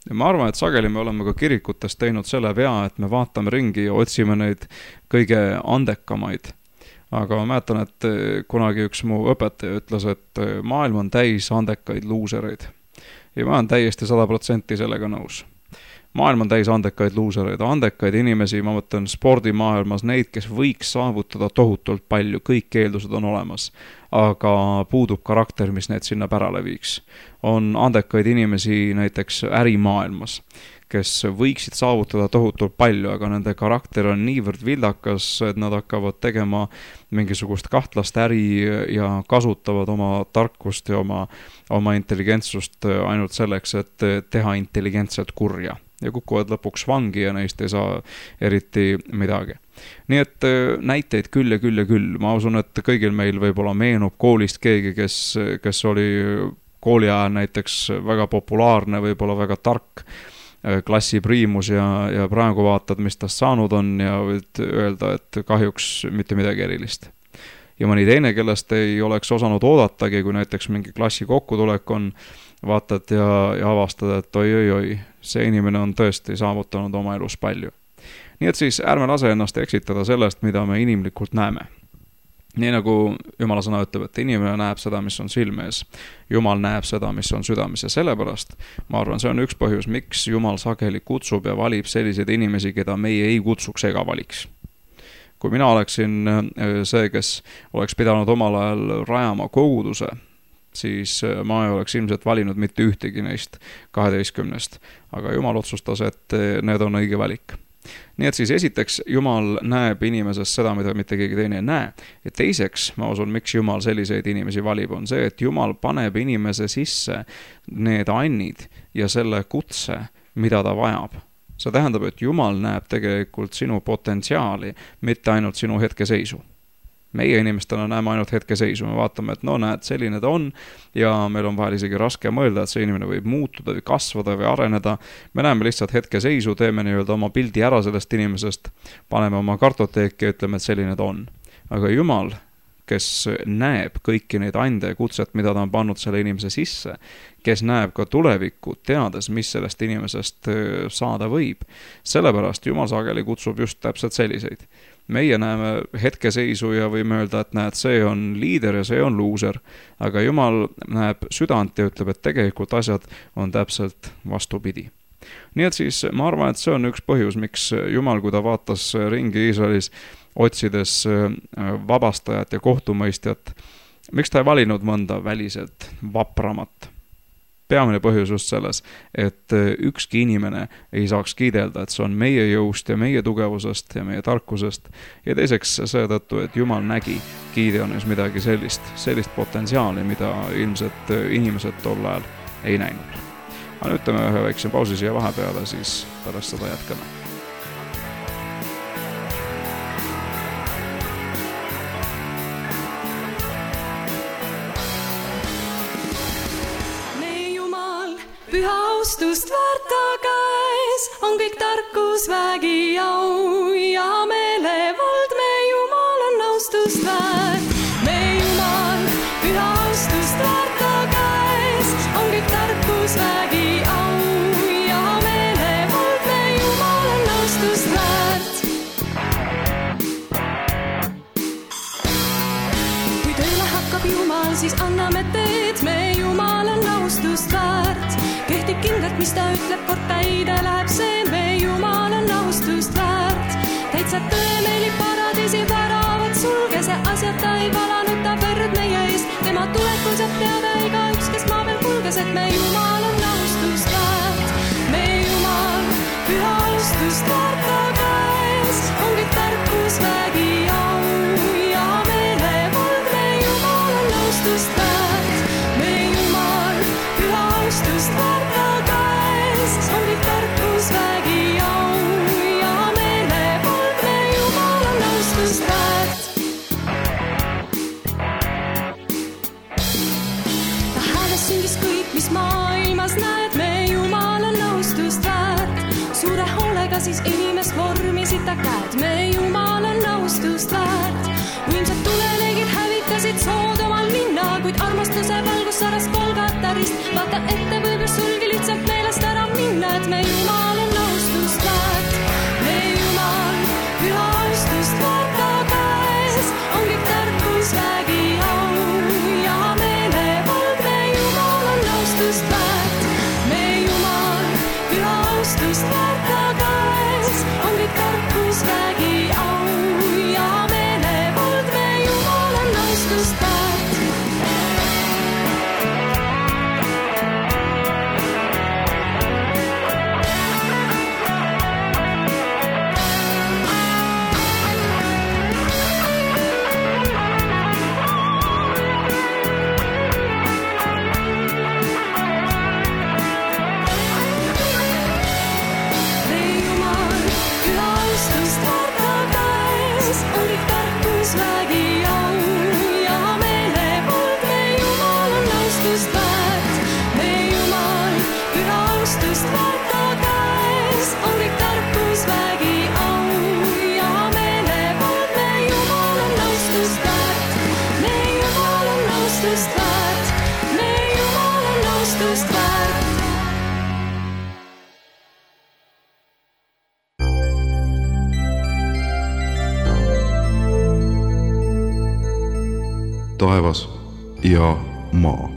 Ja ma arvan, et sageli me oleme ka kirikutes teinud selle vea, et me vaatame ringi ja otsime neid kõige andekamaid. Aga ma mäletan, et kunagi üks mu õpetaja ütles, et maailm on täis andekaid luusereid. Ja ma olen täiesti sada protsenti sellega nõus. Maailm on täis andekaid luusereid, andekaid inimesi, ma mõtlen spordimaailmas, neid, kes võiks saavutada tohutult palju, kõik eeldused on olemas, aga puudub karakter, mis need sinna pärale viiks. On andekaid inimesi näiteks ärimaailmas, kes võiksid saavutada tohutult palju, aga nende karakter on niivõrd vildakas, et nad hakkavad tegema mingisugust kahtlast äri ja kasutavad oma tarkust ja oma, oma intelligentsust ainult selleks, et teha intelligentselt kurja. Ja kukuvad lõpuks vangi ja neist ei saa eriti midagi. Nii et näiteid küll ja küll ja küll. Ma usun, et kõigil meil võib-olla meenub koolist keegi, kes, kes oli kooli ajal näiteks väga populaarne, võib-olla väga tark klassi priimus ja, ja praegu vaatad, mis tast saanud on ja võid öelda, et kahjuks mitte midagi erilist. Ja mõni teine, kellest ei oleks osanud oodatagi, kui näiteks mingi klassi kokkutulek on, vaatad ja, ja avastad, et oi, oi, oi, see inimene on tõesti saavutanud oma elus palju. Nii et siis ärme lase ennast eksitada sellest, mida me inimlikult näeme. Nii nagu Jumala sõna ütleb, et inimene näeb seda, mis on silmees. Jumal näeb seda, mis on südames ja sellepärast, ma arvan, see on üks põhjus, miks Jumal sageli kutsub ja valib selliseid inimesi, keda meie ei kutsuks ega valiks. Kui mina oleksin see, kes oleks pidanud omal ajal rajama koguduse, siis ma ei oleks ilmselt valinud mitte ühtegi neist kaheteistkümnest, aga Jumal otsustas, et need on õige valik. Nii et siis esiteks Jumal näeb inimeses seda, mida mitte keegi teine ei näe. Ja teiseks, ma usun, miks Jumal selliseid inimesi valib, on see, et Jumal paneb inimese sisse need annid ja selle kutse, mida ta vajab. See tähendab, et Jumal näeb tegelikult sinu potentsiaali, mitte ainult sinu hetkeseisu. Meie inimestena näeme ainult hetkeseisu, me vaatame, et no näed, selline ta on ja meil on vahel isegi raske mõelda, et see inimene võib muutuda või kasvada või areneda. Me näeme lihtsalt hetkeseisu, teeme nii-öelda oma pildi ära sellest inimesest, paneme oma kartoteeki ja ütleme, et selline ta on. Aga Jumal, kes näeb kõiki neid ande ja kutset, mida ta on pannud selle inimese sisse, kes näeb ka tulevikku, teades, mis sellest inimesest saada võib. Sellepärast Jumal sageli kutsub just täpselt selliseid. Meie näeme hetkeseisu ja võime öelda, et näed, see on liider ja see on luuser, aga Jumal näeb südant ja ütleb, et tegelikult asjad on täpselt vastupidi. Nii et siis ma arvan, et see on üks põhjus, miks Jumal, kui ta vaatas ringi Iisraelis, otsides vabastajat ja kohtumõistjat, miks ta ei valinud mõnda väliselt vapramat? Peamine põhjus just selles, et ükski inimene ei saaks kiidelda, et see on meie jõust ja meie tugevusest ja meie tarkusest. Ja teiseks seetõttu, et Jumal nägi Gideonis midagi sellist, sellist potentsiaali, mida ilmselt inimesed tol ajal ei näinud. Aga nüüd teeme ühe väikse pausi siia vahepeale, siis pärast seda jätkame. Püha austust väärt ta käes, on kõik tarkus, vägi, au ja meelevald, me Jumal on austust väärt. Me Jumal, püha austust väärt ta käes, on kõik tarkus, vägi, au ja meelevald, me Jumal on austust väärt. Kui tööle hakkab Jumal, siis anname teed, me Jumal on austust väärt. Kehtib kindlalt, mis ta ütleb, kord täide läheb see, me Jumal on austust väärt. Täitsa tõe meelib paradiisi väravad, sulge see asjad, ta ei valanud, ta verd meie eest. Tema tulekul saab teada iga üks, kes maa peal kulges, et me Jumal on austust väärt. Me Jumal, püha austust väärt ta käes, on kõik tarkus, vägi, au ja meelevald, me Jumal on austust väärt. Me Jumal, püha austust väärt. On kõik tarkus, vägi, au ja meelevald, me Jumal on austust väärt. Ta hääles süngis kõik, mis maailmas näed, me Jumal on austust väärt. Suure hoolega siis inimest vormisid ta käed, me Jumal on austust väärt. Võimsad tuleleegid hävitasid Soodomal linna, kuid armastuse valgus saras Golgatarist. Vaata ette võib sulgi lihtsalt meelest ära minna, et me Jumal on austust väärt. Me Jumal, püha austust väärt ta käes, on kõik tarkus, vägi, au ja meelevald, me Jumal on austust väärt. Me Jumal, püha austust väärt ta käes, on kõik tarkus, vägi, au ja meelevald, me Jumal on austust väärt. Taevas ja maa.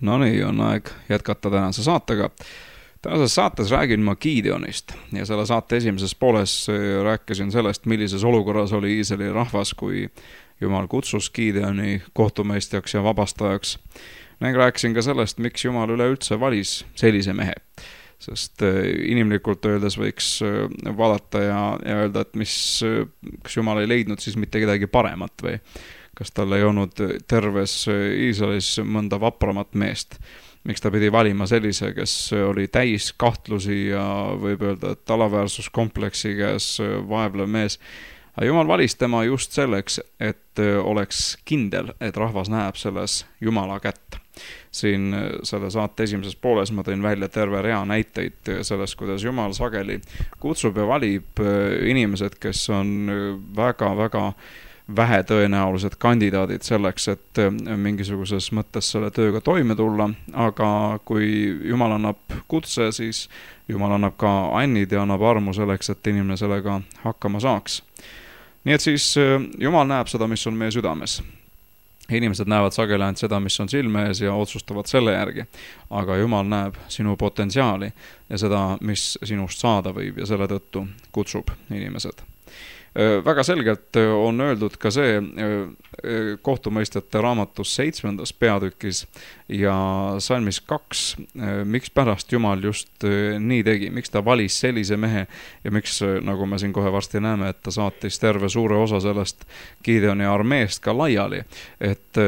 No nii, on aeg jätkata tänase saatega. Tänases saates räägin ma Gideonist ja selle saate esimeses pooles rääkisin sellest, millises olukorras oli Iisraeli rahvas, kui Jumal kutsus Gideoni kohtumeistjaks ja vabastajaks. Ning rääkisin ka sellest, miks Jumal üleüldse valis sellise mehe. Sest inimlikult öeldes võiks vaadata ja, ja öelda, et mis, kas Jumal ei leidnud siis mitte kedagi paremat või kas tal ei olnud terves Iisraelis mõnda vapramat meest. Miks ta pidi valima sellise, kes oli täis kahtlusi ja võib öelda, et alaväärsuskompleksi käes vaevlev mees. Aga Jumal valis tema just selleks, et oleks kindel, et rahvas näeb selles Jumala kätt. siin selle saate esimeses pooles ma tõin välja terve rea näiteid sellest, kuidas Jumal sageli kutsub ja valib inimesed, kes on väga-väga vähe tõenäolised kandidaadid selleks, et mingisuguses mõttes selle tööga toime tulla, aga kui Jumal annab kutse, siis Jumal annab ka annid ja annab armu selleks, et inimene sellega hakkama saaks. Nii et siis Jumal näeb seda, mis on meie südames. Inimesed näevad sageli ainult seda, mis on silme ees ja otsustavad selle järgi, aga Jumal näeb sinu potentsiaali ja seda, mis sinust saada võib ja selle tõttu kutsub inimesed. Väga selgelt on öeldud ka see kohtumõistjate raamatus seitsmendas peatükis ja salmis kaks, miks pärast Jumal just nii tegi, miks ta valis sellise mehe ja miks, nagu me siin kohe varsti näeme, et ta saatis terve suure osa sellest Gideoni armeest ka laiali, et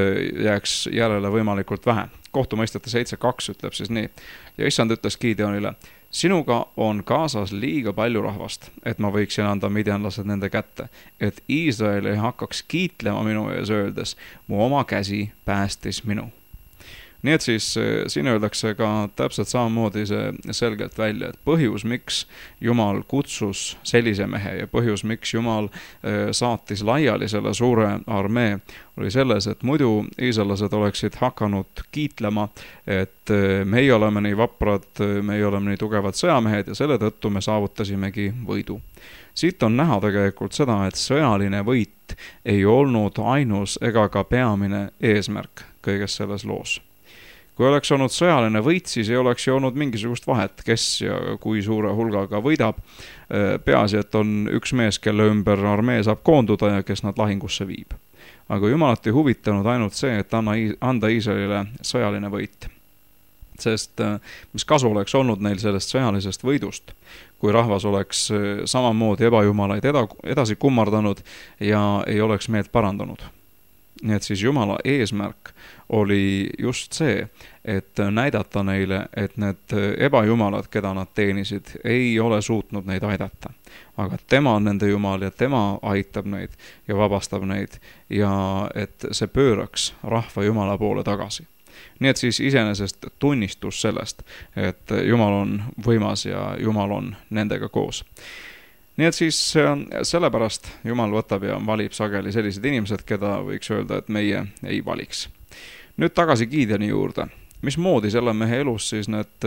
jääks järele võimalikult vähe. Kohtumõistjate seitse kaks ütleb siis nii. Ja issand ütles Gideonile, sinuga on kaasas liiga palju rahvast, et ma võiksin anda midjanlased nende kätte, et Iisrael ei hakkaks kiitlema minu ees öeldes, mu oma käsi päästis minu. Nii et siis siin öeldakse ka täpselt samamoodi see selgelt välja, et põhjus, miks Jumal kutsus sellise mehe ja põhjus, miks Jumal saatis laiali selle suure armee, oli selles, et muidu iisraellased oleksid hakanud kiitlema, et meie oleme nii vaprad, meie oleme nii tugevad sõjamehed ja selle tõttu me saavutasimegi võidu. Siit on näha tegelikult seda, et sõjaline võit ei olnud ainus ega ka peamine eesmärk kõiges selles loos. Kui oleks olnud sõjaline võit, siis ei oleks ju olnud mingisugust vahet, kes ja kui suure hulgaga võidab. Peaasi, et on üks mees, kelle ümber armee saab koonduda ja kes nad lahingusse viib. Aga Jumalat ei huvitanud ainult see, et anda Iisraelile sõjaline võit. Sest mis kasu oleks olnud neil sellest sõjalisest võidust, kui rahvas oleks samamoodi ebajumalaid edasi kummardanud ja ei oleks meelt parandanud. Nii et siis Jumala eesmärk oli just see, et näidata neile, et need ebajumalad, keda nad teenisid, ei ole suutnud neid aidata. Aga tema on nende Jumal ja tema aitab neid ja vabastab neid ja et see pööraks rahva Jumala poole tagasi. Nii et siis iseenesest tunnistus sellest, et Jumal on võimas ja Jumal on nendega koos. Nii et siis sellepärast Jumal võtab ja valib sageli sellised inimesed, keda võiks öelda, et meie ei valiks. Nüüd tagasi Gideoni juurde. Mismoodi selle mehe elus siis need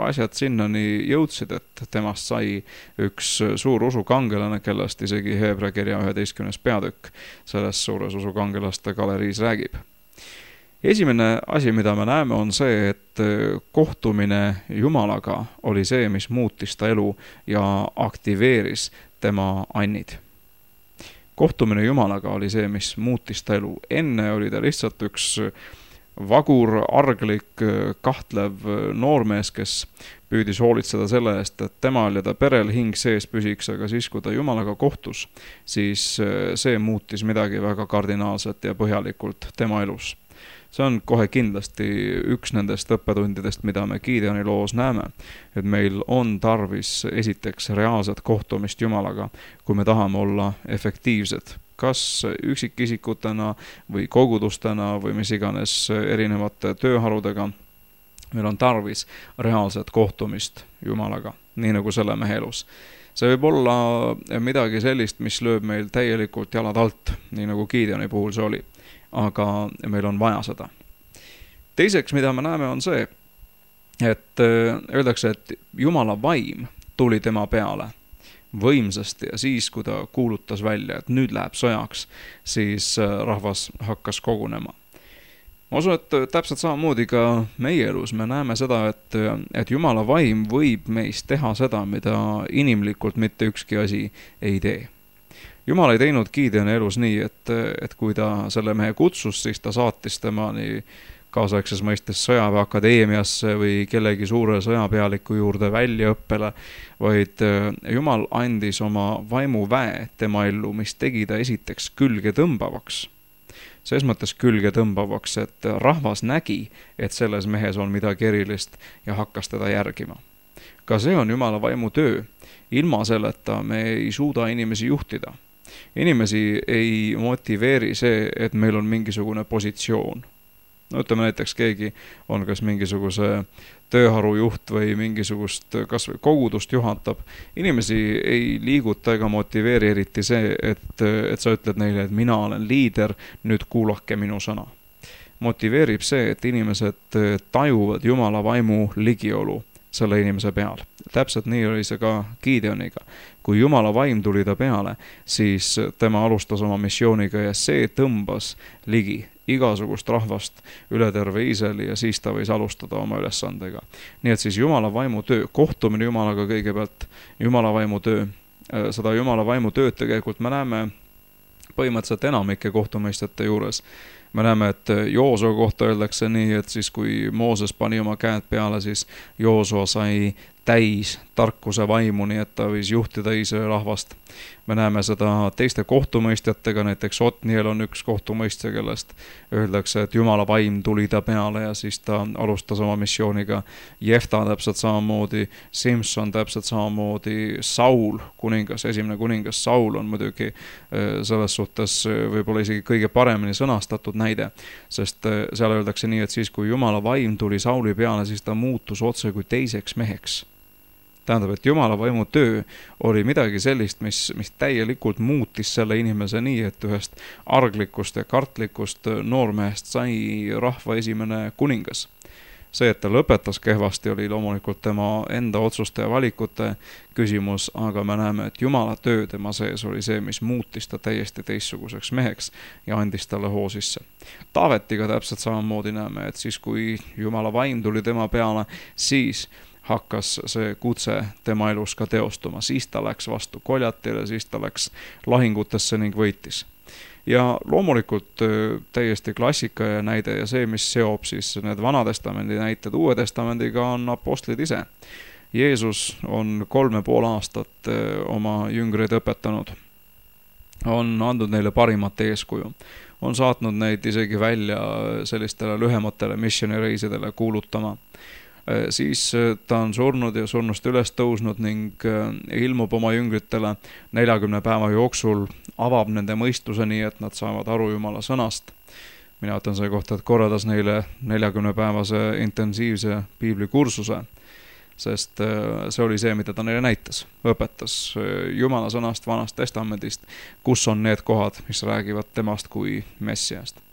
asjad sinnani jõudsid, et temast sai üks suur usukangelane, kellest isegi Heebra kirja üheteistkümnes peatükk selles suures usukangelaste galeriis räägib. Esimene asi, mida me näeme, on see, et kohtumine Jumalaga oli see, mis muutis ta elu ja aktiveeris tema annid. Kohtumine Jumalaga oli see, mis muutis ta elu. Enne oli ta lihtsalt üks vagur, arglik, kahtlev noormees, kes püüdis hoolitseda selle eest, et temal ja ta perel hing sees püsiks, aga siis, kui ta Jumalaga kohtus, siis see muutis midagi väga kardinaalset ja põhjalikult tema elus. See on kohe kindlasti üks nendest õppetundidest, mida me Gideoni loos näeme, et meil on tarvis esiteks reaalset kohtumist Jumalaga, kui me tahame olla efektiivsed, kas üksikisikutena või kogudustena või mis iganes erinevate tööharudega. Meil on tarvis reaalset kohtumist Jumalaga, nii nagu selle mehe elus. See võib olla midagi sellist, mis lööb meil täielikult jalad alt, nii nagu Gideoni puhul see oli. Aga meil on vaja seda. Teiseks, mida me näeme, on see, et öeldakse, et Jumala vaim tuli tema peale võimsasti ja siis, kui ta kuulutas välja, et nüüd läheb sõjaks, siis rahvas hakkas kogunema. Ma usun, et täpselt samamoodi ka meie elus me näeme seda, et, et Jumala vaim võib meist teha seda, mida inimlikult mitte ükski asi ei tee. Jumal ei teinud Gideoni elus nii, et, et kui ta selle mehe kutsus, siis ta saatis tema nii kaasaegses mõistes sõjaväeakadeemiasse või kellegi suure sõjapealiku juurde väljaõppele, vaid Jumal andis oma vaimu väe tema ellu, mis tegi ta esiteks külge tõmbavaks. Selles mõttes külge tõmbavaks, et rahvas nägi, et selles mehes on midagi erilist ja hakkas teda järgima. Ka see on Jumala vaimu töö. Ilma selleta me ei suuda inimesi juhtida. Inimesi ei motiveeri see, et meil on mingisugune positsioon. no ütleme näiteks keegi on kas mingisuguse tööharu juht või mingisugust kas või kogudust juhatab. Inimesi ei liiguta ega motiveeri eriti see, et, et sa ütled neile, et mina olen liider, nüüd kuulake minu sõna. Motiveerib see, et inimesed tajuvad Jumala vaimu ligiolu selle inimese peal. Täpselt nii oli see ka Gideoniga. Kui Jumala vaim tuli ta peale, siis tema alustas oma missiooniga ja see tõmbas ligi igasugust rahvast üle terve Iisraeli ja siis ta võis alustada oma ülesandega. Nii et siis Jumala vaimu töö, kohtumine Jumalaga kõigepealt, Jumala vaimu töö, seda Jumala vaimu tööd tegelikult me näeme põhimõtteliselt enamike kohtumõistjate juures. Me näeme, et Joosua kohta öeldakse nii, et siis kui Mooses pani oma käed peale, siis Joosua sai täis tarkuse vaimu, nii et ta võis juhtida Iisraeli rahvast. Me näeme seda teiste kohtumõistjatega, näiteks Otniel on üks kohtumõistja, kellest öeldakse, et Jumala vaim tuli ta peale ja siis ta alustas oma missiooniga. Jefta täpselt samamoodi, Simson täpselt samamoodi, Saul, kuningas, esimene kuningas Saul on muidugi selles suhtes võib-olla isegi kõige paremini sõnastatud näide, sest seal öeldakse nii, et siis kui Jumala vaim tuli Sauli peale, siis ta muutus otse kui teiseks meheks. Tähendab, et Jumala vaimu töö oli midagi sellist, mis, mis täielikult muutis selle inimese nii, et ühest arglikust ja kartlikust noormehest sai rahva esimene kuningas. See, et ta lõpetas kehvasti, oli loomulikult tema enda otsuste ja valikute küsimus, aga me näeme, et Jumala töö tema sees oli see, mis muutis ta täiesti teistsuguseks meheks ja andis talle hoo sisse. Taavetiga täpselt samamoodi näeme, et siis kui Jumala vaim tuli tema peale, siis hakkas see kutse tema elus ka teostuma. Siis ta läks vastu Koljatile, siis ta läks lahingutesse ning võitis. Ja loomulikult täiesti klassika ja näide ja see, mis seob siis need Vanatestamendi näited Uue Testamendiga, on apostlid ise. Jeesus on kolme pool aastat oma jüngreid õpetanud. On andnud neile parimat eeskuju. On saatnud neid isegi välja sellistele lühematele missioonireisidele kuulutama. Siis ta on surnud ja surnust üles tõusnud ning ilmub oma jüngritele neljakümne päeva jooksul, avab nende mõistuse nii, et nad saavad aru Jumala sõnast. Mina ütlen selle kohta, et korraldas neile neljakümne päevase intensiivse piiblikursuse, sest see oli see, mida ta neile näitas. Õpetas Jumala sõnast Vanast Testamendist, kus on need kohad, mis räägivad temast kui Messiast.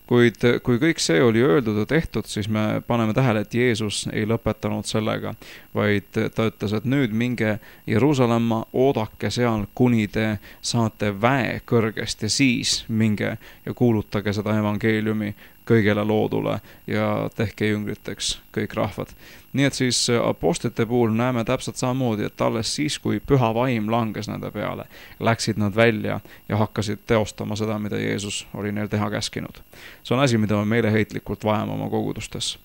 Kuid kui kõik see oli öeldud ja tehtud, siis me paneme tähele, et Jeesus ei lõpetanud sellega, vaid ta ütles, et nüüd minge Jeruusalemma, oodake seal, kuni te saate väe kõrgest ja siis minge ja kuulutage seda evangeeliumi kõigele loodule ja tehke jüngriteks kõik rahvad. Nii et siis apostlite puhul näeme täpselt samamoodi, et alles siis, kui püha vaim langes nende peale, läksid nad välja ja hakkasid teostama seda, mida Jeesus oli neil teha käskinud. See on asi, mida me meeleheitlikult vajame oma kogudustes.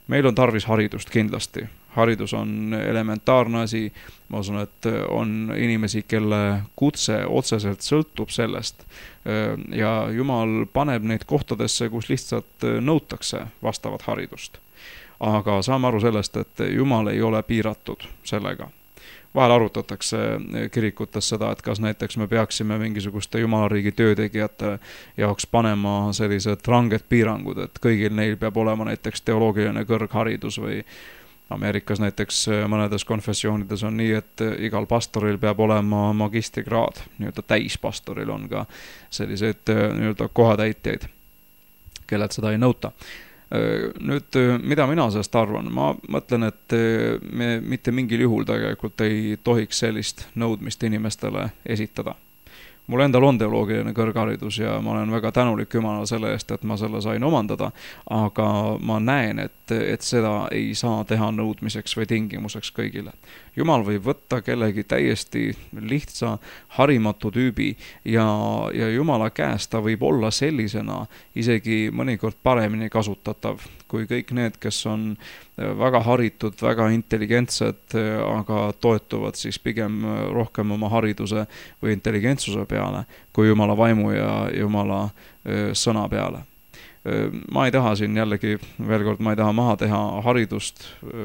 Meil on tarvis haridust kindlasti. Haridus on elementaarne asi. Ma usun, et on inimesi, kelle kutse otseselt sõltub sellest ja Jumal paneb neid kohtadesse, kus lihtsalt nõutakse vastavat haridust. Aga saame aru sellest, et Jumal ei ole piiratud sellega. Vahel arutatakse kirikutes seda, et kas näiteks me peaksime mingisuguste Jumalariigi töötegijate jaoks panema sellised ranged piirangud, et kõigil neil peab olema näiteks teoloogiline kõrgharidus või Ameerikas näiteks mõnedes konfessioonides on nii, et igal pastoril peab olema magistrikraad, nii-öelda täispastoril on ka selliseid nii-öelda kohatäitjaid, kellelt seda ei nõuta. Nüüd, mida mina sellest arvan? Ma mõtlen, et me mitte mingil juhul tegelikult ei tohiks sellist nõudmist inimestele esitada. Mul endal on teoloogiline kõrgharidus ja ma olen väga tänulik Jumalale selle eest, et ma selle sain omandada, aga ma näen, et, et seda ei saa teha nõudmiseks või tingimuseks kõigile. Jumal võib võtta kellegi täiesti lihtsa, harimatu tüübi ja, ja Jumala käest ta võib olla sellisena isegi mõnikord paremini kasutatav kui kõik need, kes on väga haritud, väga intelligentsed, aga toetuvad siis pigem rohkem oma hariduse või intelligentsuse peale kui Jumala vaimu ja Jumala sõna peale. Ma ei taha siin jällegi, veel kord, ma ei taha maha teha haridust,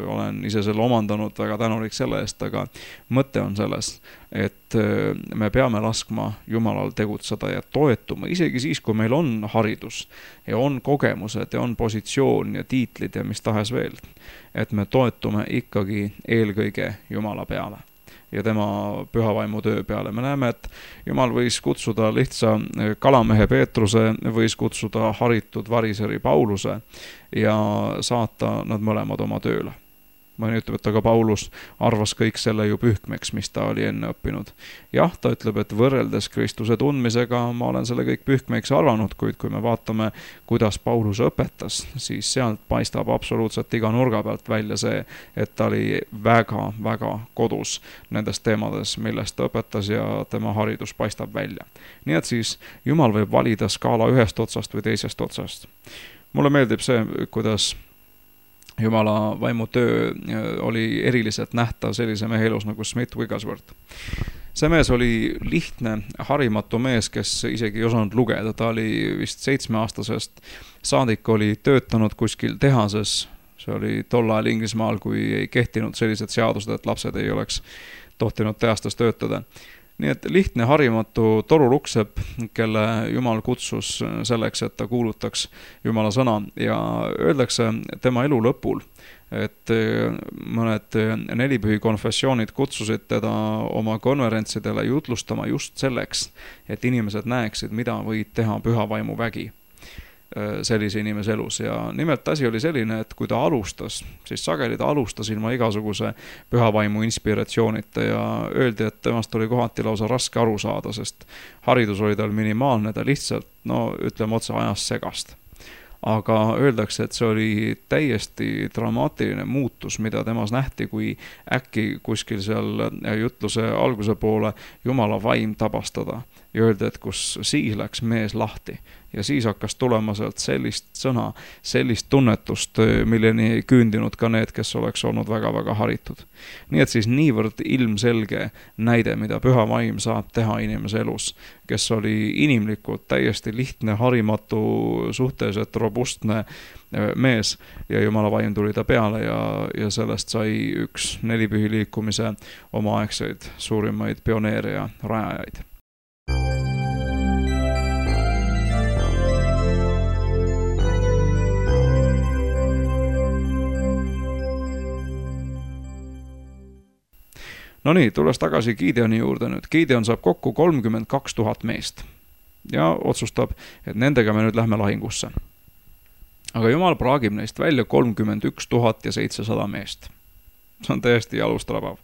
olen ise selle omandanud, väga tänulik selle eest, aga mõte on selles, et me peame laskma Jumalal tegutseda ja toetuma, isegi siis, kui meil on haridus ja on kogemused ja on positsioon ja tiitlid ja mis tahes veel, et me toetume ikkagi eelkõige Jumala peale ja tema pühavaimu töö peale. Me näeme, et Jumal võis kutsuda lihtsa kalamehe Peetruse, võis kutsuda haritud variseri Pauluse ja saata nad mõlemad oma tööle. Mõni ütleb, et aga Paulus arvas kõik selle ju pühkmeks, mis ta oli enne õppinud. Jah, ta ütleb, et võrreldes Kristuse tundmisega ma olen selle kõik pühkmeks arvanud, kuid kui me vaatame, kuidas Paulus õpetas, siis sealt paistab absoluutselt iga nurga pealt välja see, et ta oli väga, väga kodus nendes teemades, millest ta õpetas ja tema haridus paistab välja. Nii et siis Jumal võib valida skaala ühest otsast või teisest otsast. Mulle meeldib see, kuidas Jumala vaimu töö oli eriliselt nähtav sellise mehe elus nagu Smith Wigglesworth. See mees oli lihtne, harimatu mees, kes isegi ei osanud lugeda. Ta oli vist seitsmeaastasest saadik, oli töötanud kuskil tehases. See oli tol ajal Inglismaal, kui ei kehtinud sellised seadused, et lapsed ei oleks tohtinud tehastes töötada. Nii et lihtne, harimatu toruluksep, kelle Jumal kutsus selleks, et ta kuulutaks Jumala sõna ja öeldakse tema elu lõpul, et mõned nelipühi konfessioonid kutsusid teda oma konverentsidele jutlustama just selleks, et inimesed näeksid, mida võid teha pühavaimu vägi sellise inimese elus. Ja nimelt asi oli selline, et kui ta alustas, siis sageli ta alustas ilma igasuguse pühavaimu inspiratsioonita ja öeldi, et temast oli kohati lausa raske aru saada, sest haridus oli tal minimaalne, ta lihtsalt, no ütleme otse, ajas segast. Aga öeldakse, et see oli täiesti dramaatiline muutus, mida temas nähti, kui äkki kuskil seal jutluse alguse poole Jumala vaim tabastada ja öelda, et kus siis läks mees lahti. Ja siis hakkas tulema sealt sellist sõna, sellist tunnetust, milleni ei küündinud ka need, kes oleks olnud väga-väga haritud. Nii et siis niivõrd ilmselge näide, mida püha vaim saab teha inimese elus, kes oli inimlikult täiesti lihtne, harimatu, suhteliselt robustne mees ja Jumala vaim tuli ta peale ja, ja sellest sai üks nelipühi liikumise omaaegseid suurimaid pioneere ja rajajaid. No nii, tulles tagasi Gideoni juurde nüüd. Gideon saab kokku kolmkümmend kaks tuhat meest ja otsustab, et nendega me nüüd lähme lahingusse. Aga Jumal praagib neist välja kolmkümmend üks tuhat ja seitsesada meest. See on täiesti jalustrabav.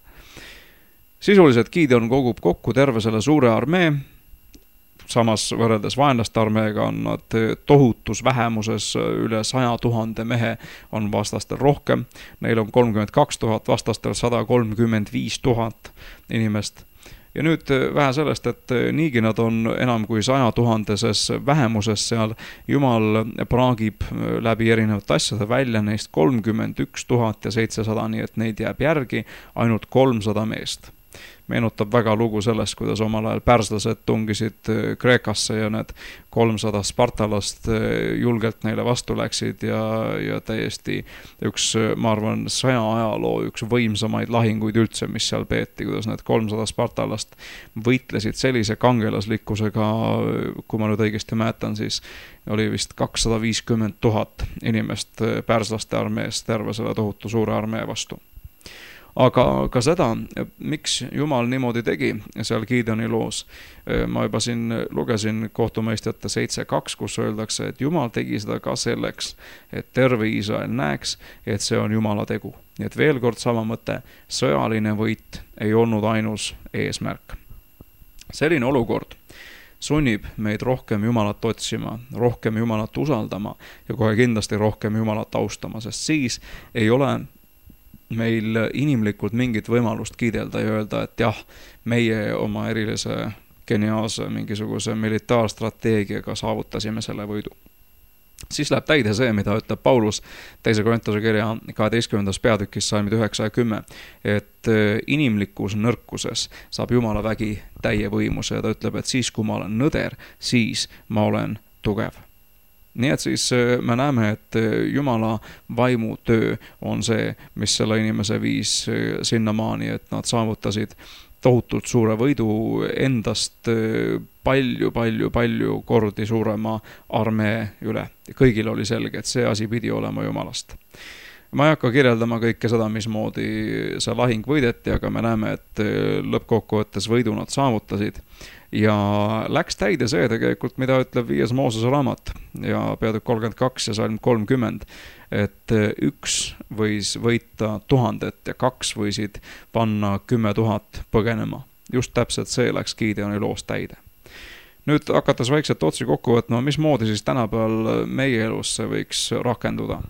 Sisuliselt Gideon kogub kokku terve selle suure armee, samas võrreldes vaenlaste armeega on nad tohutus vähemuses, üle saja tuhande mehe on vastastel rohkem. Neil on kolmkümmend kaks tuhat, vastastel sada kolmkümmend viis tuhat inimest. Ja nüüd vähe sellest, et niigi nad on enam kui saja tuhandeses vähemuses seal, Jumal praagib läbi erinevate asjade välja neist kolmkümmend üks tuhat ja seitsesada, nii et neid jääb järgi ainult kolmsada meest. Meenutab väga lugu sellest, kuidas omal ajal pärslased tungisid Kreekasse ja need kolmsada spartalast julgelt neile vastu läksid ja, ja täiesti üks, ma arvan, saja ajaloo üks võimsamaid lahinguid üldse, mis seal peeti, kuidas need kolmsada spartalast võitlesid sellise kangelaslikkusega, kui ma nüüd õigesti mäletan, siis oli vist kakssada viiskümmend tuhat inimest pärslaste armees terve selle tohutu suure armee vastu. Aga ka seda, miks Jumal niimoodi tegi seal Gideoni loos. Ma juba siin lugesin kohtumõistjate seitse kaks, kus öeldakse, et Jumal tegi seda ka selleks, et terve Iisrael näeks, et see on Jumala tegu. Nii et veel kord sama mõte, sõjaline võit ei olnud ainus eesmärk. Selline olukord sunnib meid rohkem Jumalat otsima, rohkem Jumalat usaldama ja kohe kindlasti rohkem Jumalat austama, sest siis ei ole meil inimlikult mingit võimalust kiidelda ja öelda, et jah, meie oma erilise geniaalse mingisuguse militaarstrateegiaga saavutasime selle võidu. Siis läheb täide see, mida ütleb Paulus teise Korintuse kirja kaheteistkümnendas peatükis salmid üheksa ja kümme, et inimlikus nõrkuses saab Jumala vägi täie võimuse ja ta ütleb, et siis kui ma olen nõder, siis ma olen tugev. Nii et siis me näeme, et Jumala vaimu töö on see, mis selle inimese viis sinnamaani, et nad saavutasid tohutult suure võidu endast palju, palju, palju kordi suurema armee üle. Kõigil oli selge, et see asi pidi olema Jumalast. Ma ei hakka kirjeldama kõike seda, mismoodi see lahing võideti, aga me näeme, et lõppkokkuvõttes võidu nad saavutasid. Ja läks täide see tegelikult, mida ütleb viies Moosese raamat ja peatükk kolmkümmend kaks ja salm kolmkümmend, et üks võis võita tuhandet ja kaks võisid panna kümme tuhat põgenema. Just täpselt see läks Gideoni loos täide. Nüüd hakates vaikselt otsi kokku võtma, mismoodi siis tänapäeval meie elus see võiks rakenduda.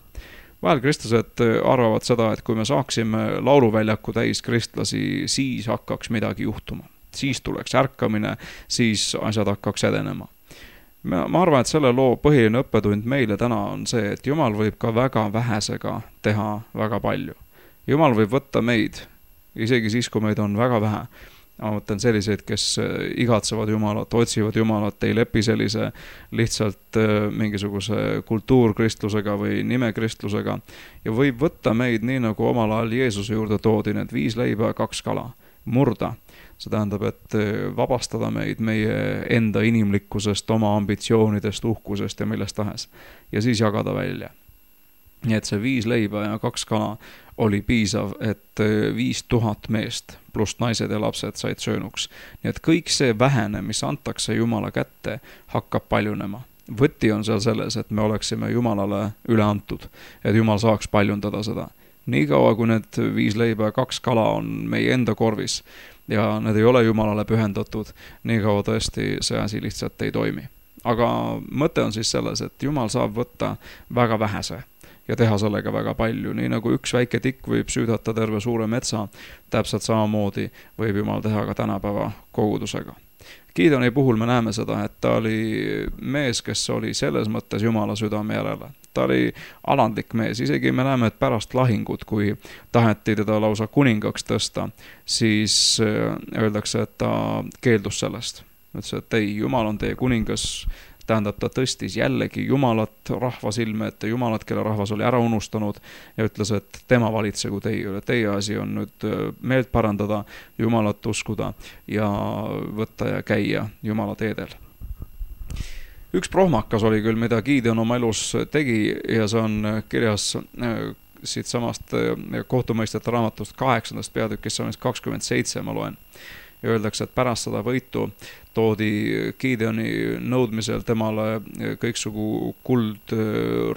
Vahel kristlased arvavad seda, et kui me saaksime lauluväljaku täis kristlasi, siis hakkaks midagi juhtuma. Siis tuleks ärkamine, siis asjad hakkaks edenema. Ma arvan, et selle loo põhiline õppetund meile täna on see, et Jumal võib ka väga vähesega teha väga palju. Jumal võib võtta meid, isegi siis, kui meid on väga vähe. Ma mõtlen selliseid, kes igatsevad Jumalat, otsivad Jumalat, ei lepi sellise lihtsalt mingisuguse kultuurkristlusega või nimekristlusega. Ja võib võtta meid nii, nagu omal ajal Jeesuse juurde toodi need viis leiba ja kaks kala. Murda. See tähendab, et vabastada meid meie enda inimlikkusest, oma ambitsioonidest, uhkusest ja millest tahes. Ja siis jagada välja. Nii et see viis leiba ja kaks kala oli piisav, et viis tuhat meest pluss naised ja lapsed said söönuks. Nii et kõik see vähene, mis antakse Jumala kätte, hakkab paljunema. Võti on seal selles, et me oleksime Jumalale üle antud, et Jumal saaks paljundada seda. Nii kaua, kui need viis leiba ja kaks kala on meie enda korvis ja need ei ole Jumalale pühendatud, nii kaua tõesti see asi lihtsalt ei toimi. Aga mõte on siis selles, et Jumal saab võtta väga vähese ja teha sellega väga palju. Nii nagu üks väike tikk võib süüdata terve suure metsa, täpselt samamoodi võib Jumal teha ka tänapäeva kogudusega. Gideoni puhul me näeme seda, et ta oli mees, kes oli selles mõttes Jumala südame järele. Ta oli alandlik mees, isegi me näeme, et pärast lahingut, kui taheti teda lausa kuningaks tõsta, siis öeldakse, et ta keeldus sellest. Ütles, et ei, Jumal on teie kuningas, tähendab, ta tõstis jällegi Jumalat rahva silme, et Jumalat, kelle rahvas oli ära unustanud ja ütles, et tema valitsegu teie üle. Teie asi on nüüd meelt parandada, Jumalat uskuda ja võtta ja käia Jumala teedel. Üks prohmakas oli küll, mida Gideon oma elus tegi ja see on kirjas siit samast kohtumõistjate raamatust kaheksandast peatükist kakskümmend seitse ma loen. Ja öeldakse, et pärast seda võitu toodi Gideoni nõudmisel temale kõiksugu kuld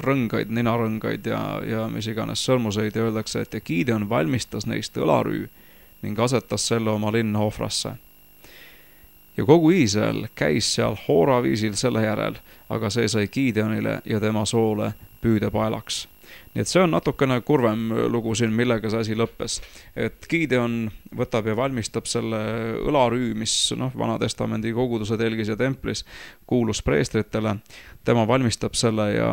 rõngaid, ninarõngaid ja, ja mis iganes sõrmuseid ja öeldakse, et ja Gideon valmistas neist õlarüü ning asetas selle oma linna ohvrasse. Ja kogu Iisrael käis seal hooraviisil selle järel, aga see sai Gideonile ja tema soole püüdepaelaks. Nii et see on natukene kurvem lugu siin, millega see asi lõppes. Et Gideon võtab ja valmistab selle õlarüü, mis noh, Vana-testamendi koguduse telgis ja templis kuulus preestritele. Tema valmistab selle ja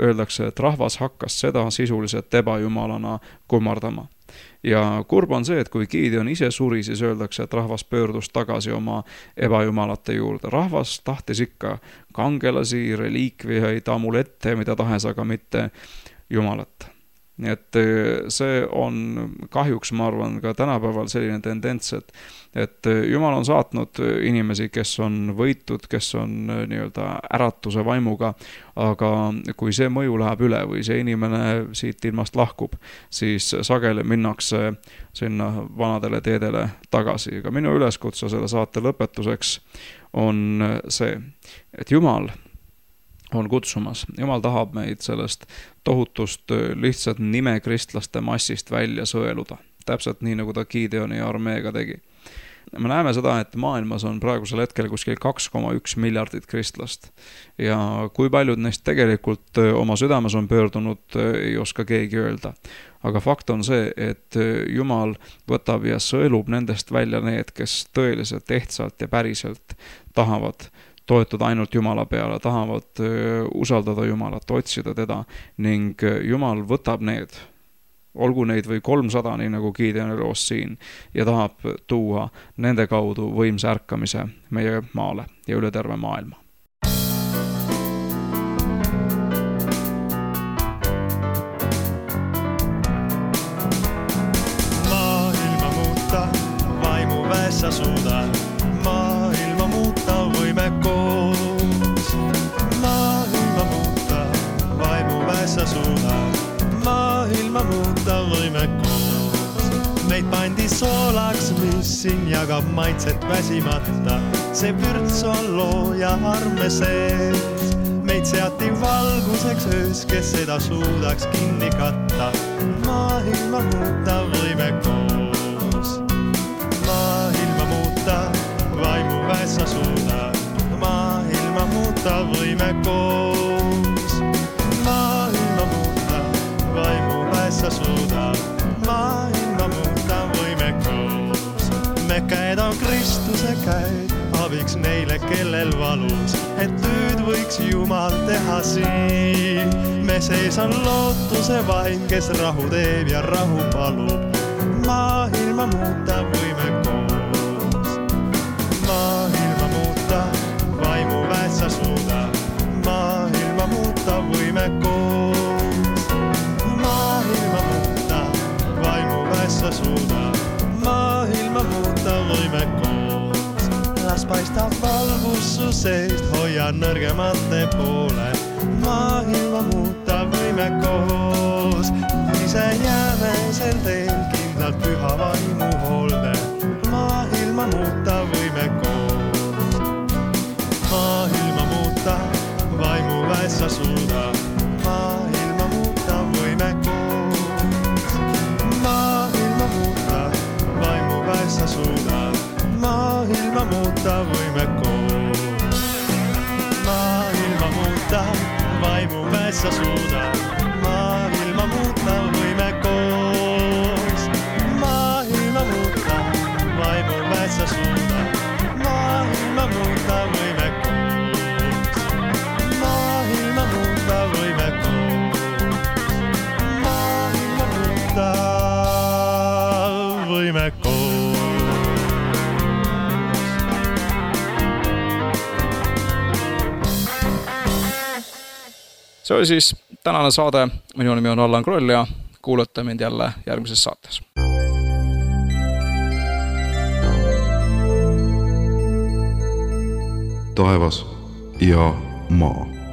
öeldakse, et rahvas hakkas seda sisuliselt ebajumalana kummardama. Ja kurb on see, et kui Gideon ise suri, siis öeldakse, et rahvas pöördus tagasi oma ebajumalate juurde. Rahvas tahtis ikka kangelasi, reliikviaid, amulette, mida tahes, aga mitte Jumalat. Nii et see on kahjuks, ma arvan, ka tänapäeval selline tendents, et, et Jumal on saatnud inimesi, kes on võitud, kes on nii-öelda äratuse vaimuga, aga kui see mõju läheb üle või see inimene siit ilmast lahkub, siis sageli minnakse sinna vanadele teedele tagasi. Aga minu üleskutse selle saate lõpetuseks on see, et Jumal on kutsumas. Jumal tahab meid sellest tohutust lihtsalt nime kristlaste massist välja sõeluda. Täpselt nii, nagu ta Gideoni armeega tegi. Me näeme seda, et maailmas on praegusel hetkel kuskil kaks koma üks miljardit kristlast. Ja kui paljud neist tegelikult oma südames on pöördunud, ei oska keegi öelda. Aga fakt on see, et Jumal võtab ja sõelub nendest välja need, kes tõeliselt, ehtsalt ja päriselt tahavad toetuda ainult Jumala peale, tahavad usaldada Jumalat, otsida teda ning Jumal võtab need, olgu neid või kolmsada, nii nagu Gideoni loos siin, ja tahab tuua nende kaudu võimsa ärkamise meie maale ja üle terve maailma. Maailma muuta vaimuväes väessä suudad maailma muuta, võime koos. Maailma muuta, vaimu väessä suudad maailma muuta, võime koos. Meid pandi soolaks, mis siin jagab maitset väsimata. See vürts on loo ja arme sees. Meid seati valguseks öös, kes seda suudaks kinni katta. Maailma muuta, võime koos. Maailma muuta, vaimu väessa suudad maailma muuta, võime koos. Maailma muuta, vaimu väessä suudad maailma muuta, võime koos. Me käed on Kristuse käed, abiks neile, kellel valus, et tööd võiks Jumal teha siin. Me sees on lootuse vaim, kes rahu teeb ja rahu palub. Maailma muuta, võime koos. Maailma muuta, vaimu väessä suudad maailma muuta, võime koos. Maailma muuta, vaimu väessä suudad maailma muuta, võime koos. Las paistab valgus su seest, hoia nõrgemate poole. Maailma muuta, võime koos. Ise jääme sel teel kindlalt püha vaimu hoolde. Maailma muuta, võime koos. Maailma muuta, vaimu väessä suudad maailma muuta, võime koos. Maailma muuta, vaimu väessä suudad maailma muuta, võime koos. Maailma muuta, vaimu väessä suudad maailma muuta, võime koos. Maailma muuta, vaimu väessä suudad maailma muuta, võime koos. Maailma muuta, võime koos. Maailma muuta, võime koos. See oli siis tänane saade. Minu nimi on Allan Kroll ja kuulate mind jälle järgmises saates. Taevas ja maa.